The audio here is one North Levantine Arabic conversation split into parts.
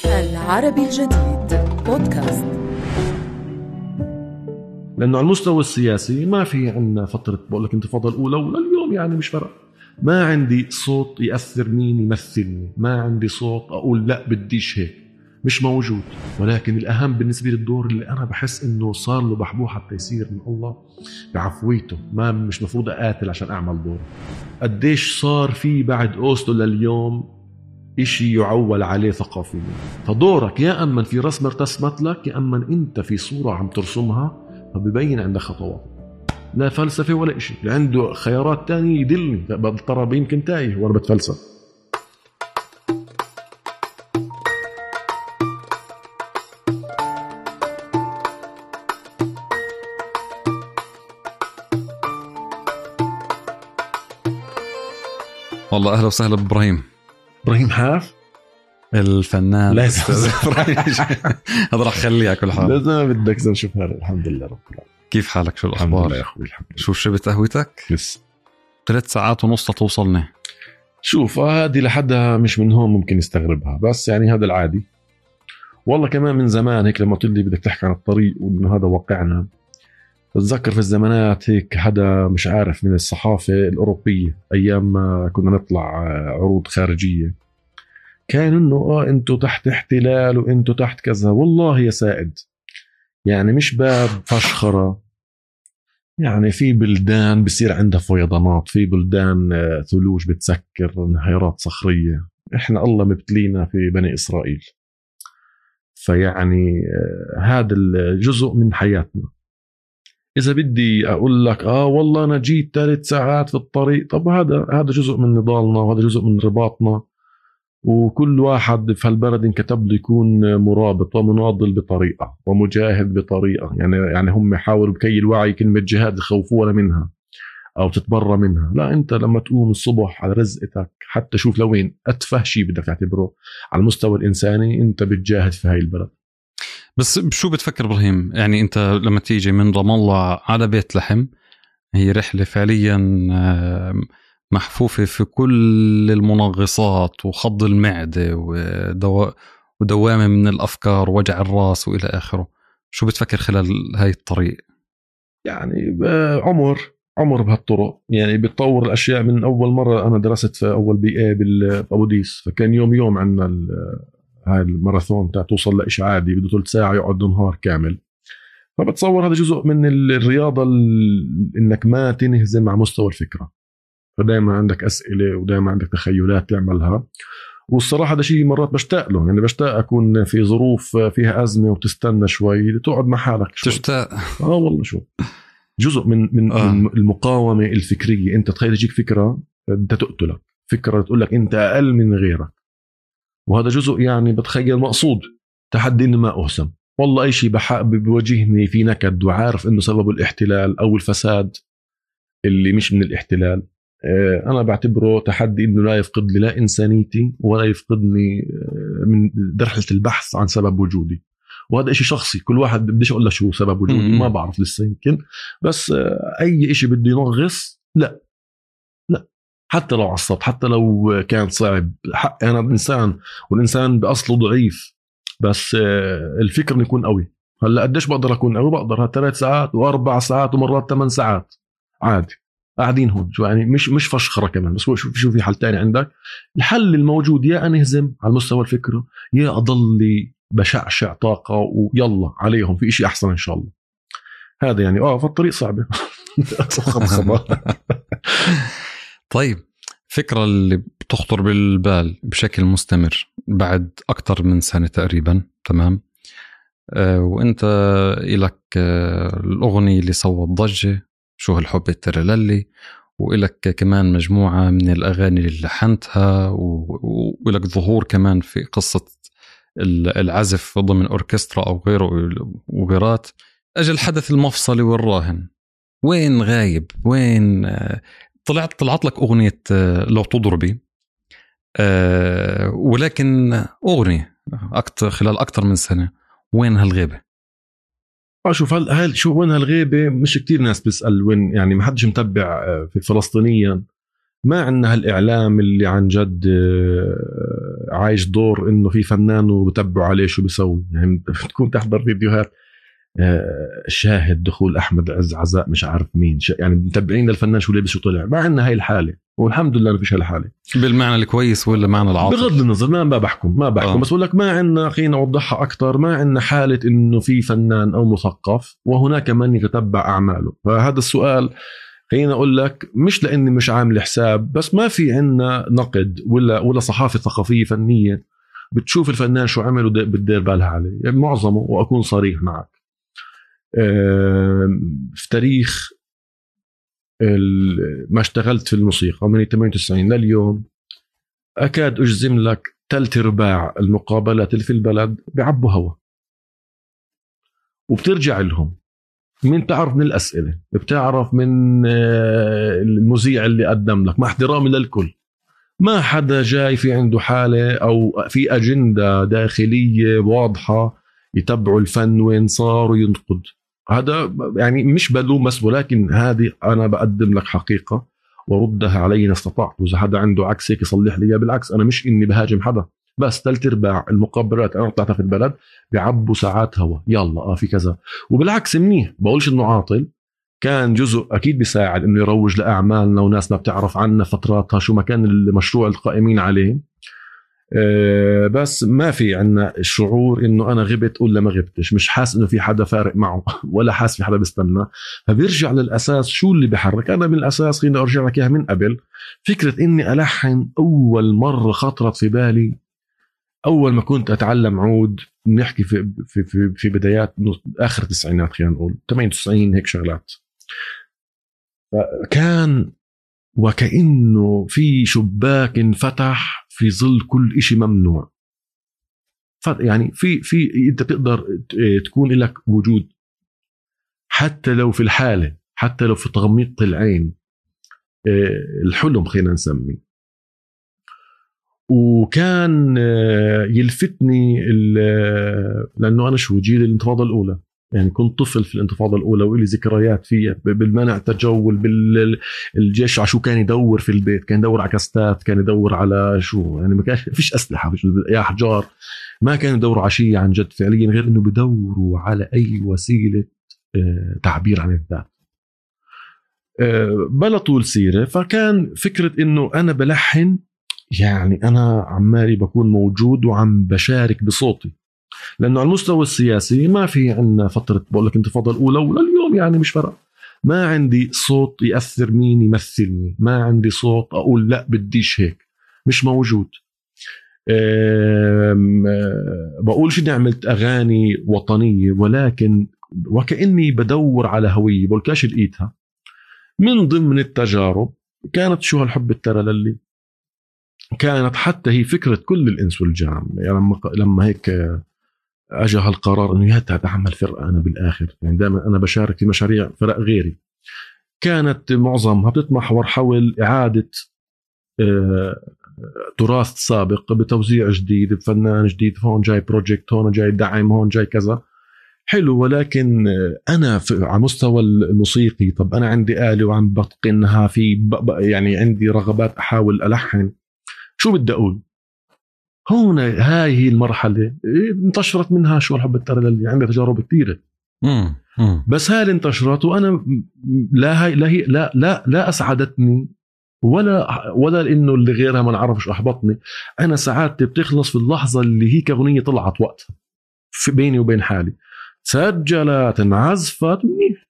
العربي الجديد بودكاست. لأنه على المستوى السياسي ما في عنا فترة بقول لك انتفاضة الأولى ولليوم، يعني مش فرق. ما عندي صوت يأثر مين يمثلني، ما عندي صوت أقول لا بديش هيك، مش موجود. ولكن الأهم بالنسبة للدور اللي أنا بحس إنه صار له بحبوه حتى يصير من الله بعفويته، ما مش مفروض أقاتل عشان أعمل دور. قديش صار في بعد أوسلو لليوم إشي يعول عليه ثقافيا. فدورك يا أما في رسم ارتسمت لك، يا أما أنت في صورة عم ترسمها فبيبين عندك خطوات. لا فلسفة ولا إشي، اللي عنده خيارات تانية يدلني، ترى يمكن تايه وأنا بتفلسف. والله أهلا وسهلا بإبراهيم حاف الفنان. لازم هذا راح خليها كل حال. لازم بدك نشوف هذا. الحمد لله رب العالمين. كيف حالك؟ شو الأخبار؟ الحمد لله يا أخوي الحمد لله. شو شربت قهوتك؟ لسه 3 ساعات ونص توصلني. شوف هذه لحدها مش من هون ممكن يستغربها، بس يعني هذا العادي. والله كمان من زمان هيك لما تقول لي بدك تحكي عن الطريق وإنه هذا واقعنا، بتذكر في الزمانات هيك حدا مش عارف من الصحافة الأوروبية أيام ما كنا نطلع عروض خارجية، كان إنه أنتوا تحت احتلال وأنتوا تحت كذا. والله يا سائد يعني مش باب فشخرة، يعني في بلدان بصير عندها فيضانات، في بلدان ثلوج بتسكر، انهيارات صخرية. إحنا الله مبتلينا في بني إسرائيل. فيعني هذا الجزء من حياتنا. إذا بدي أقول لك والله أنا جيت 3 ساعات في الطريق، طب هذا جزء من نضالنا وهذا جزء من رباطنا. وكل واحد في هالبلد انكتب له يكون مرابط ومناضل بطريقة ومجاهد بطريقة. يعني هم يحاولوا بكي الوعي كلمة جهاد يخوفونا منها أو تتبرى منها. لا، أنت لما تقوم الصبح على رزقتك حتى شوف لوين أتفه شيء بدك تعتبره على المستوى الإنساني أنت بتجاهد في هاي البلد. بس شو بتفكر إبراهيم؟ يعني أنت لما تيجي من رام الله على بيت لحم، هي رحلة فعليا محفوفة في كل المنغصات وخض المعدة ودوامة من الأفكار ووجع الراس وإلى آخره. شو بتفكر خلال هاي الطريق؟ يعني عمر بهالطرق، يعني بتطور الأشياء. من أول مرة أنا درست في أول BA بأبو ديس، فكان يوم عندنا هاي الماراثون تاع توصل لإشي عادي بده 3 ساعة يقعد نهار كامل. فبتصور هذا جزء من الرياضة إنك ما تنهزم على مستوى الفكرة. فدائما عندك أسئلة ودائما عندك تخيلات تعملها. والصراحة هذا شيء مرات بشتاق له، يعني بشتاق أكون في ظروف فيها أزمة وتستنى شوي تقعد مع حالك شوي. تشتاق والله شو جزء من المقاومة الفكرية. أنت تخيل تجيك فكرة أنت تقتلك، فكرة تقول لك أنت أقل من غيرك، وهذا جزء يعني بتخيل مقصود تحدي ما أهسم. والله أي شيء بيواجهني في نكد وعارف إنه سبب الاحتلال أو الفساد اللي مش من الاحتلال، أنا بعتبره تحدي إنه لا يفقد لي لا إنسانيتي ولا يفقدني من درحلة البحث عن سبب وجودي. وهذا إشي شخصي، كل واحد بديش أقول له شو سبب وجودي، ما بعرف لسه يمكن. بس أي إشي بده ينغص لا حتى لو عصبت، حتى لو كان صعب، حق أنا إنسان والإنسان بأصله ضعيف، بس الفكر يكون قوي. هلا قديش بقدر أكون قوي؟ بقدر 3 ساعات و4 ساعات ومرات 8 ساعات عادي قاعدين هون. شو يعني مش فشخرة كمان. بس شو في حل تاني عندك؟ الحل الموجود يا أنهزم على المستوى الفكرة، يا أضل بشعشع طاقة ويلا عليهم في إشي أحسن إن شاء الله. هذا يعني فالطريق صعبة. طيب، فكرة اللي بتخطر بالبال بشكل مستمر بعد أكتر من سنة تقريبا، تمام؟ وانت إلك الأغنية اللي صوت ضجة شو هالحب الترللي، وإلك كمان مجموعة من الأغاني اللي لحنتها، وإلك ظهور كمان في قصة العزف ضمن أوركسترا أو غيره وغيرات. أجل الحدث المفصلي والراهن، وين غايب؟ وين طلعت لك أغنية لو تضربي، ولكن أغنية خلال أكتر من سنة، وين هالغيبة؟ شوف شو وين هالغيبة؟ مش كتير ناس بيسأل وين، يعني ما حدش متبع في فلسطينيا. ما عندنا هالإعلام اللي عن جد عايش دور إنه في فنان وبتبعوا عليه شو بيسوي. يعني تكون تحضر فيديوهات شاهد دخول أحمد عز عزاء مش عارف مين، يعني متابعين للفنان شو لابس شو طلع. ما عندنا هاي الحالة، والحمد لله ما فيش هالحالة بالمعنى الكويس ولا معنى العاطفي. بغض النظر ما بحكم بس أقول لك ما عندنا، خلينا نوضحها أكتر، ما عندنا حالة إنه في فنان أو مثقف وهناك من يتتبع أعماله. فهذا السؤال خلينا أقول لك مش لأني مش عامل حساب، بس ما في عندنا نقد ولا صحافة ثقافية فنية بتشوف الفنان شو عمل وبتدير بالها عليه. يعني معظمه، وأكون صريح معك، في تاريخ ما اشتغلت في الموسيقى من 98 لليوم أكاد أجزم لك 3/4 المقابلات اللي في البلد بيعبوا هوا، وبترجع لهم من تعرف من الأسئلة، بتعرف من المذيع اللي قدم لك، مع احترامي للكل، ما حدا جاي في عنده حالة أو في أجندة داخلية واضحة يتبعوا الفن وين صار وينقد. هذا يعني مش بلومس، ولكن هذه أنا بقدم لك حقيقة وردها علي إن استطعت، وإذا حدا عنده عكس هيك يصلح لي. بالعكس أنا مش إني بهاجم حدا، بس 3/4 المقابلات أنا طلعتها في البلد بيعبوا ساعات هوا، يلا في كذا. وبالعكس منيح، بقولش إنه عاطل، كان جزء أكيد بيساعد إنه يروج لأعمالنا وناس ما بتعرف عنا فتراتها شو ما كان المشروع القائمين عليه. بس ما في عنا الشعور إنه أنا غبت ولا ما غبتش، مش حاس إنه في حدا فارق معه ولا حاس في حدا بيستنى. فبيرجع للأساس شو اللي بيحرك. أنا من الأساس خليني أرجع لك إياها من قبل، فكرة إني ألحن أول مرة خطرت في بالي أول ما كنت أتعلم عود، نحكي في بدايات آخر التسعينات، خلينا نقول 98 هيك شغلات. كان وكأنه في شباك انفتح في ظل كل إشي ممنوع. يعني في أنت تقدر تكون لك وجود حتى لو في الحالة، حتى لو في تغميض العين، الحلم خلينا نسميه. وكان يلفتني لأنه أنا شو جيل الانتفاضة الأولى، يعني كنت طفل في الانتفاضة الأولى وإلي ذكريات فيها بالمنع تجول بالجيش. عشو كان يدور في البيت، كان يدور على كاستات، كان يدور على شو، يعني ما كان فيش أسلحة، يا حجار، ما كانوا يدوروا على شيء عن جد فعليا، غير إنه بدوروا على أي وسيلة تعبير عن الذات. بلا طول سيرة، فكان فكرة إنه أنا بلحن، يعني أنا عمالي بكون موجود وعم بشارك بصوتي. لأنه على المستوى السياسي ما في عنا فترة، بقول لك انتفاضة الأولى ولليوم يعني مش فرق، ما عندي صوت يأثر مين يمثلني، ما عندي صوت أقول لا بديش هيك، مش موجود. بقولش إني عملت أغاني وطنية، ولكن وكأني بدور على هوية، بقولكاش لقيتها. من ضمن التجارب كانت شو هالحب الترى للي كانت حتى هي فكرة كل الإنس والجان. يعني لما هيك أجى هالقرار إنه يا تعمل فرقة أنا بالآخر، يعني دائما أنا بشارك في مشاريع فرق غيري، كانت معظمها بتتمحور حول إعادة تراث سابق بتوزيع جديد بفنان جديد، هون جاي بروجكت، هون جاي دعم، هون جاي كذا حلو. ولكن أنا على مستوى الموسيقي، طب أنا عندي آلة وعم بتقنها في يعني عندي رغبات أحاول ألحن، شو بدي أقول؟ هون هاي هي المرحلة انتشرت منها شو الحب الترى اللي عندها تجارب كثيرة. بس هاي انتشرت، وأنا لا أسعدتني ولا إنه اللي غيرها ما نعرفش أحبطني. أنا سعادتي بتخلص في اللحظة اللي هي كأغنية طلعت وقتها في بيني وبين حالي، سجلت انعزفت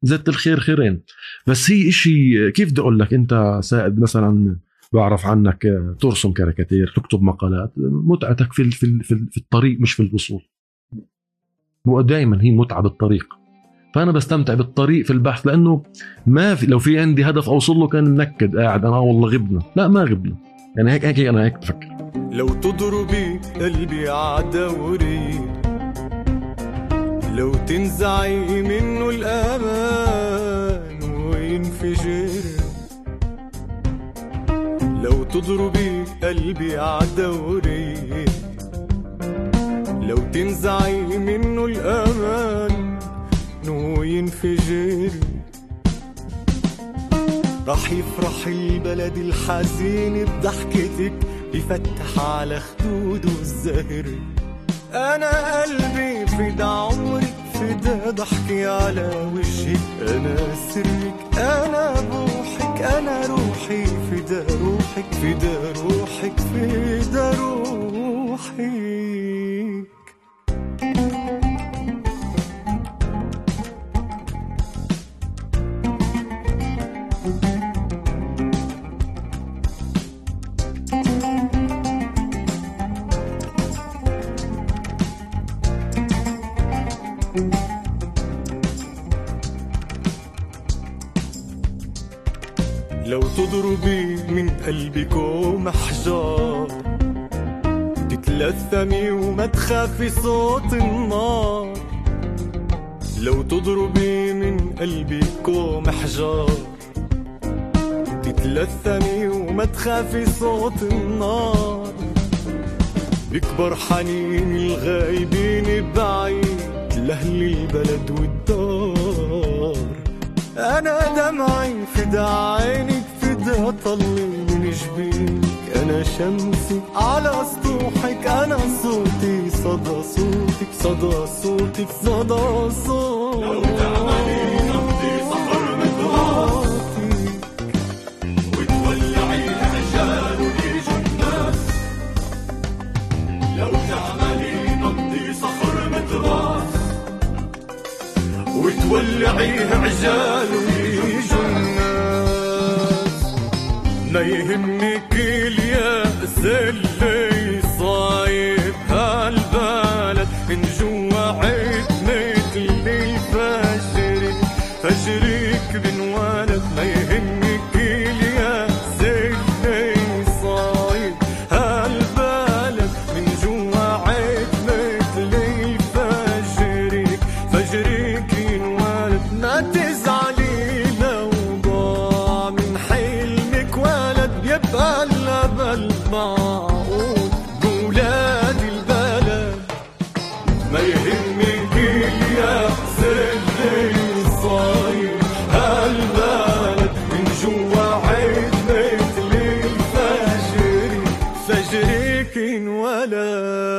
زدت الخير خيرين. بس هي إشي كيف بدي أقول لك، أنت سائد مثلا بعرف عنك ترسم كاريكاتير، تكتب مقالات، متعتك في الطريق مش في الوصول. ودائما هي متعة بالطريق، فأنا بستمتع بالطريق في البحث، لأنه ما في لو في عندي هدف أوصل له كان منكد قاعد أنا والله غبنا. لا ما غبنا، يعني هيك أنا هيك بفكر. لو تضربي قلبي عدوري، لو تنزعي منه الأمان وينفجر، لو تضربي قلبي عدوري، لو تنزعي منه الأمان وينفجر، راح يفرح البلد الحزين بضحكتك يفتح على خدوده الزهر. أنا قلبي فدا عمرك، فدا ضحكي على وجهك، أنا سرك، أنا بوحك، أنا روحي، فدا روحك، فدا روحك، فدا روحك. لو تضربي من قلبك ومحجار، تتلثمي وما تخافي صوت النار. لو تضربي من قلبك ومحجار، تتلثمي وما تخافي صوت النار. بكبر حنين الغايبين بعيد لأهل البلد والدار. أنا دمعي فدا عينك، فدا طلي من جبينك، أنا شمسي على سطوحك، أنا صوتي صدى صوتك، صدى صوتك، صدى صوتك. لو تعملي نبضي صخر متغاطي وتولعي العجال ويجوا الناس. لو تعملي نبضي صخر متغاطي وتولعيه عجال ويجوا الناس. ما يهمك اليأس اللي صايب هالبلد، من جوا عتمة اللي فجرك بنولد. ما يهمك اليأس اللي صايب هالبلد، من جوا عتمة اللي فجرك ينولد. ما تزعلي لو ضاع من حلمك ولد، يبقى الأمل معقود بولاد البلد. ما يهمك اليأس اللي صاير هالبلد، من جوا عتمة اللي فجرك ينولد.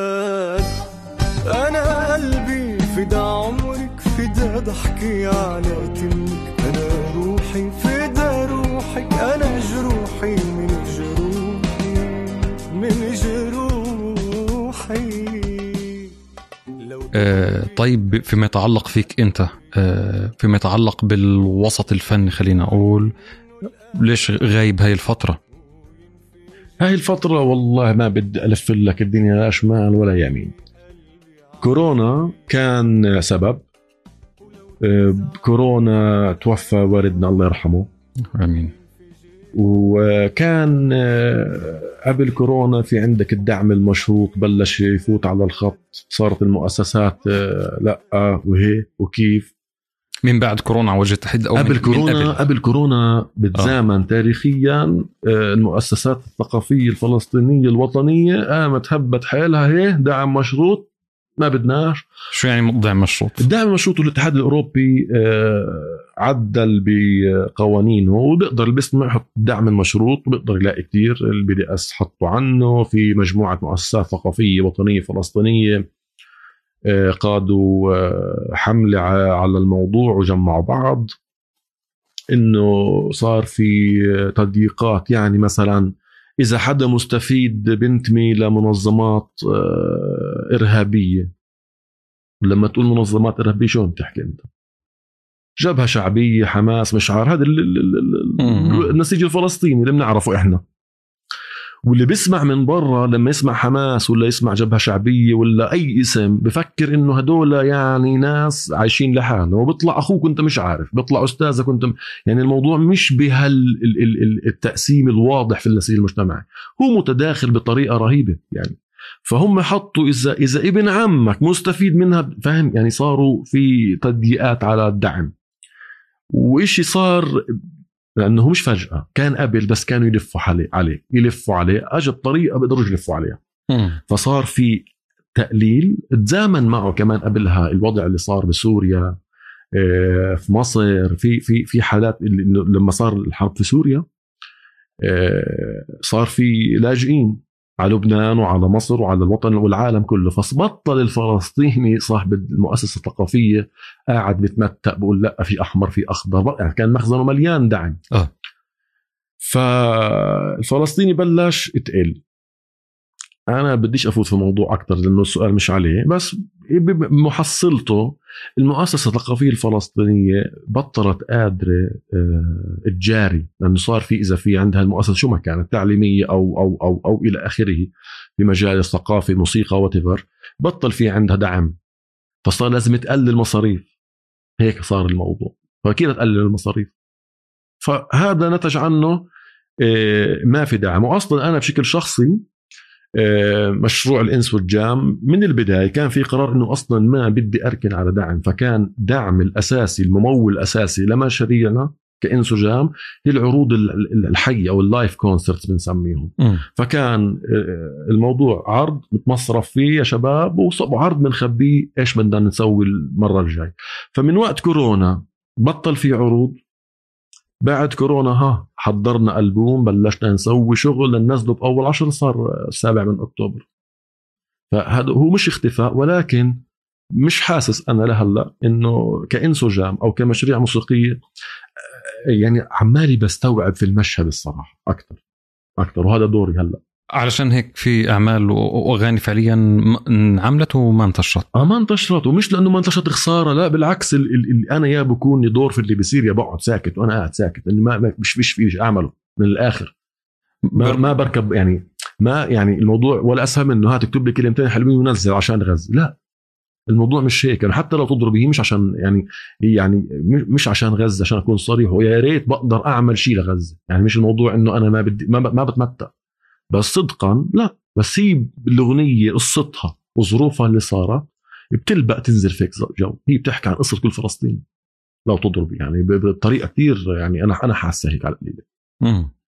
أنا قلبي فدا عمرك، فدا ضحكي على تمك، أنا روحي فدا روحك، أنا جروحي من جروحي. طيب فيما يتعلق فيك أنت، فيما يتعلق بالوسط الفني، خلينا أقول ليش غايب هاي الفترة؟ هاي الفترة والله ما بدي ألف لك الدنيا لا شمال ولا يمين. كورونا كان سبب. كورونا توفى والدنا الله يرحمه، آمين. وكان قبل كورونا في عندك الدعم المشروط بلش يفوت على الخط، صارت المؤسسات لا وهي وكيف. من بعد كورونا وجه تحد أو قبل كورونا بتزامن تاريخيا المؤسسات الثقافية الفلسطينية الوطنية قامت هبت حالها، هي دعم مشروط ما بدناش. شو يعني دعم مشروط؟ الدعم المشروط الاتحاد الأوروبي عدل بقوانينه، وبيقدر اللي بيسمع يحط الدعم المشروط وبيقدر يلاقي كتير. البي دي اس حطوا عنه، في مجموعة مؤسسات ثقافية وطنية فلسطينية قادوا حملة على الموضوع وجمعوا بعض. إنه صار في تضييقات، يعني مثلا إذا حدا مستفيد بنتمي لمنظمات إرهابية، لما تقول منظمات إرهابية شو بتحكي أنت؟ جبهة شعبية، حماس، مشعار، هذا النسيج الفلسطيني اللي بنعرفه إحنا. واللي بيسمع من برا لما يسمع حماس ولا يسمع جبهة شعبية ولا أي اسم بفكر إنه هدول يعني ناس عايشين لحالهم، وبيطلع أخوك وأنت مش عارف، بيطلع أستاذك وأنت يعني الموضوع مش التقسيم الواضح في النسيج المجتمعي، هو متداخل بطريقة رهيبة يعني. فهم حطوا إذا ابن عمك مستفيد منها، فهم يعني، صاروا في تضييقات على الدعم. وإشي صار لأنه مش فجأة، كان قبل بس كانوا يلفوا عليه أجد طريقة بيقدروا يلفوا عليها. فصار في تقليل. تزامن معه كمان قبلها الوضع اللي صار بسوريا، في مصر، في حالات لما صار الحرب في سوريا صار في لاجئين على لبنان وعلى مصر وعلى الوطن والعالم كله. فبطل الفلسطيني صاحب المؤسسة الثقافية قاعد بتمتع بقول لا في أحمر في أخضر، يعني كان مخزنه مليان دعم. فالفلسطيني بلش يتقل. أنا بديش أفوت في موضوع أكتر لأنه السؤال مش عليه، بس بمحصلته المؤسسة الثقافية الفلسطينية بطلت قادرة تجاري، لأنه صار في إذا في عندها المؤسسة شو ما كانت تعليمية أو إلى آخره في مجال الثقافة موسيقى واتيفر، بطل في عندها دعم، فصار لازم تقلل المصاريف. هيك صار الموضوع، فكيف تقلل المصاريف؟ فهذا نتج عنه ما في دعم. وأصلا أنا بشكل شخصي مشروع الإنس والجام من البداية كان في قرار أنه أصلا ما بدي أركن على دعم، فكان دعم الأساسي الممول الأساسي لمشاريعنا كإنس وجام هي العروض الحية أو اللايف كونسرتس بنسميهم. فكان الموضوع عرض متمصرف فيه يا شباب وعرض بنخبيه إيش بدنا نسوي المرة الجاي. فمن وقت كورونا بطل في عروض، بعد كورونا حضرنا ألبوم، بلشنا نسوي شغل لننزله بأول 10 صار 7 من أكتوبر. فهذا هو مش اختفاء، ولكن مش حاسس أنا لهلا إنه كإنس وجام أو كمشاريع موسيقية يعني عمالي بستوعب في المشهد الصراحة أكتر، وهذا دوري هلا. علشان هيك في أعمال وأغاني فعليا انعملت وما انتشرت. ما انتشرت، ومش لأنه ما انتشرت خسارة، لا بالعكس. اللي أنا يا بكون لي دور في اللي بيصير يا بقعد ساكت وأنا قاعد ساكت، لأنه ما مش فيه أعمله من الآخر. ما بركب يعني، ما يعني الموضوع ولا أسهل منه تكتب لي كلمتين حلوين ونزل عشان غزة. لا، الموضوع مش هيك. يعني حتى لو تضربيه مش عشان يعني مش عشان غزة، عشان أكون صريح، ويا ريت بقدر أعمل شيء لغزة. يعني مش الموضوع إنه أنا ما بدي ما بتمتع، بس صدقا لا، بس هي الأغنية قصتها وظروفها اللي صارت بتلبق تنزل فيك جو. هي بتحكي عن قصة كل فلسطين لو تضرب يعني بطريقة كتير، يعني أنا حاسة هيك على القليلة.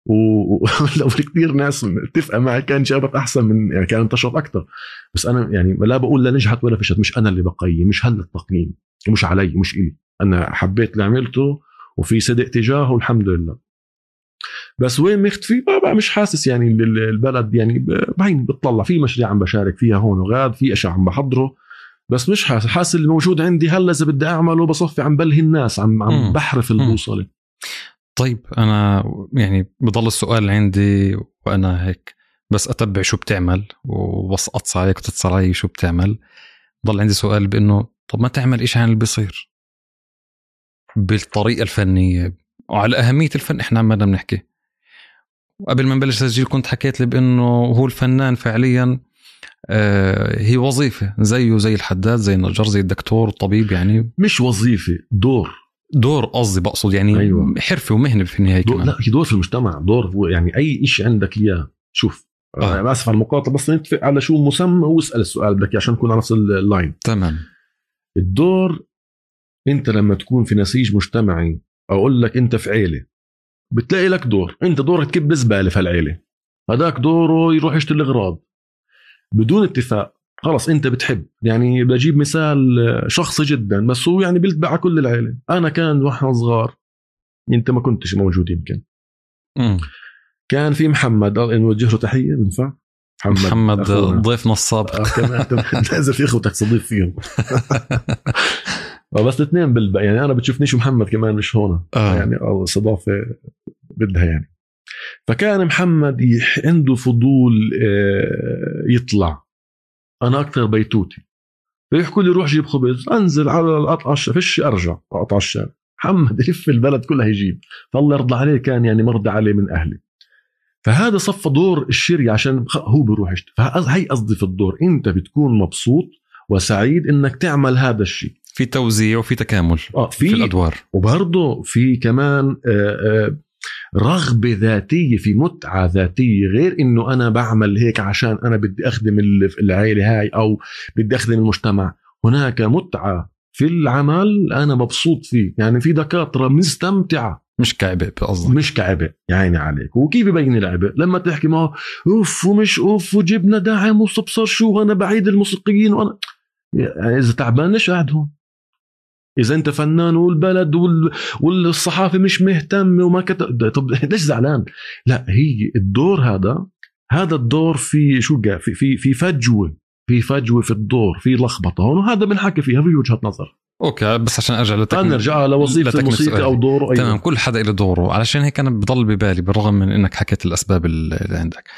ولو في كتير ناس اتفق معي كان جابت أحسن من يعني كان انتشرت أكتر. بس أنا يعني لا بقول لا نجحت ولا فشلت، مش أنا اللي بقيم، مش هلا التقييم مش علي، مش إلي. أنا حبيت اللي عملته وفي صدق تجاهه الحمد لله. بس وين مختفي بقى مش حاسس. يعني البلد يعني بعين بتطلع في مشاريع عم بشارك فيها هون وغاد، في أشياء عم بحضره، بس مش حاسس اللي موجود عندي هلا إذا بدي أعمله بصفي عم بلهي الناس، عم بحرف البوصلة. طيب أنا يعني بضل السؤال عندي وأنا هيك بس أتبع شو بتعمل وبس أتصل عليك وتتصل علي شو بتعمل. ضل عندي سؤال بأنه طب ما تعمل إيش عن اللي بيصير بالطريقة الفنية وعلى أهمية الفن. إحنا عمالنا بنحكي، وقبل ما نبلش تسجيل كنت حكيت لي بأنه هو الفنان فعليا هي وظيفة زيه زي الحداد زي النجار زي الدكتور الطبيب. يعني مش وظيفة، دور قصدي بقصد يعني. أيوة. حرفة ومهنة في النهاية كمان. لا، هي دور في المجتمع، دور يعني أي إشي عندك إياه. شوف أنا آسف على المقاطعة، بس نتفق على شو مسمى واسأل السؤال بدك عشان نكون على نفس اللاين. تمام. الدور أنت لما تكون في نسيج مجتمعي، أقول لك أنت في عيلة بتلاقي لك دور، أنت دورك تكب زبالة في العيلة، هذاك دوره يروح يشتري الأغراض بدون اتفاق. خلاص أنت بتحب. يعني بجيب مثال شخصي جدا بس هو يعني بيلتبع كل العيلة. أنا كان واحنا صغار، أنت ما كنتش موجود يمكن. كان في محمد، نوجه له تحية بنفع. محمد ضيفنا السابق. كمان لازم في اخوتك صديق فيهم. بس الاثنين بالبقى يعني انا بتشوفنيش محمد كمان مش هون. يعني استضافه بدها يعني. فكان محمد عنده فضول يطلع، انا اكثر بيتوتي، فيحكوا لي روح جيب خبز، انزل على القطع فيش ارجع قطع الشارع. محمد يلف البلد كلها يجيب، فالله يرضى عليه، كان يعني مرضى عليه من اهلي. فهذا صف دور الشري عشان هو بيروح يشتري. فهي قصدي في الدور، انت بتكون مبسوط وسعيد انك تعمل هذا الشيء، في توزيع وفي تكامل في الادوار، وبرضه في كمان رغبة ذاتية، في متعة ذاتية، غير انه انا بعمل هيك عشان انا بدي اخدم العائلة هاي او بدي اخدم المجتمع. هناك متعة في العمل انا مبسوط فيه. يعني في دكاترة مستمتعة، مش كعبء قصدك، مش كعبء يعني عليك. وكيف يبين العبء لما تحكي ما اوف ومش اوف وجبنا دعم وصبصر شو وانا بعيد الموسيقيين وانا يعني اذا تعبان ليش قاعد هون؟ اذا انت فنان والبلد والصحافه مش مهتمه وما كتب، طب ليش زعلان؟ لا، هي الدور هذا هذا الدور في في فجوة في الدور، في لخبطة هون، وهذا بنحكي فيها في وجهة نظر. اوكي بس عشان ارجع نرجع لوظيفة الموسيقى او دوره. أيوة. تمام، كل حدا له دوره. علشان هيك انا بضل ببالي بالرغم من انك حكيت الاسباب اللي عندك،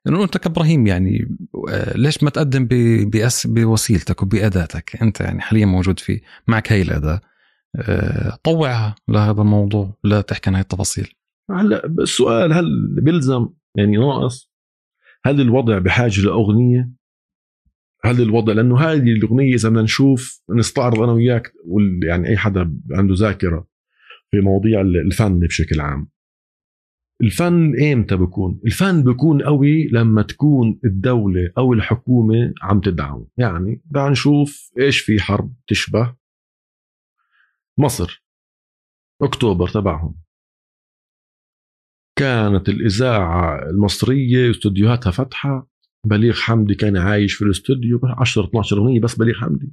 انه انت كابراهيم يعني ليش ما تقدم بوسيلتك وبأداتك انت، يعني حاليا موجود في معك هاي الأداة، طوعها لهذا الموضوع، لا تحكي عن هاي التفاصيل. هلا السؤال هل بيلزم يعني ناقص، هل الوضع بحاجة لأغنية، هل الوضع، لأنه هذه الأغنية إذا بدنا نشوف نستعرض أنا وياك يعني أي حدا عنده ذاكرة في مواضيع الفن بشكل عام، الفن إمتى بيكون؟ الفن بيكون قوي لما تكون الدولة أو الحكومة عم تدعم. يعني بدنا نشوف إيش في حرب تشبه مصر أكتوبر تبعهم، كانت الإذاعة المصرية استوديوهاتها فتحة، بليغ حمدي كان عايش في الاستوديو 10-12 أغنية بس بليغ حمدي،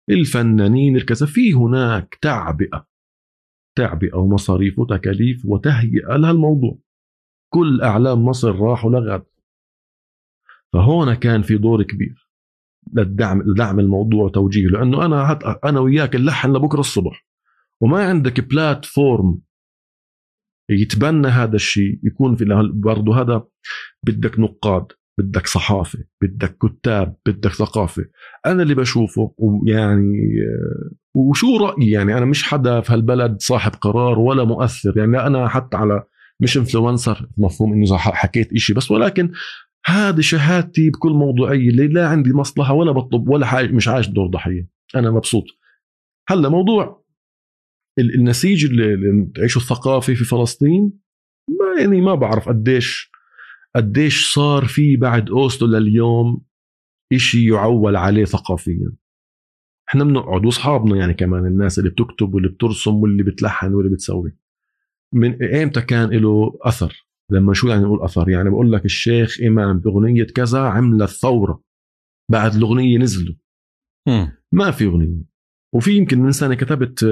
الفنانين الكذا، في هناك تعبئة ومصاريف وتكاليف وتهيئة لهالموضوع. كل أعلام مصر راحوا لغد، فهون كان في دور كبير لدعم الموضوع وتوجيه، لأنه أنا وياك نلحن لبكرة الصبح وما عندك بلاتفورم يتبنى هذا الشيء، يكون في برضه هذا بدك نقاد، بدك صحافة، بدك كتاب، بدك ثقافة. أنا اللي بشوفه ويعني وشو رأيي، يعني أنا مش حدا في هالبلد صاحب قرار ولا مؤثر، يعني أنا حتى على مش انفلونسر مفهوم إنه حكيت إشي بس، ولكن هذه شهادتي بكل موضوعية، اللي لا عندي مصلحة ولا بطلب ولا حاجة، مش عايش دور ضحية، أنا مبسوط. هلا موضوع النسيج اللي تعيشه الثقافي في فلسطين، يعني ما بعرف قديش صار فيه بعد أوسلو لليوم إشي يعول عليه ثقافيا. احنا بنقعد واصحابنا يعني كمان الناس اللي بتكتب واللي بترسم واللي بتلحن واللي بتسوي، من ايمتى كان له أثر؟ لما شو يعني نقول أثر؟ يعني بقول لك الشيخ إمام بأغنية كذا عملت ثورة، بعد الأغنية نزلوا ما في أغنية. وفي يمكن من سنة كتبت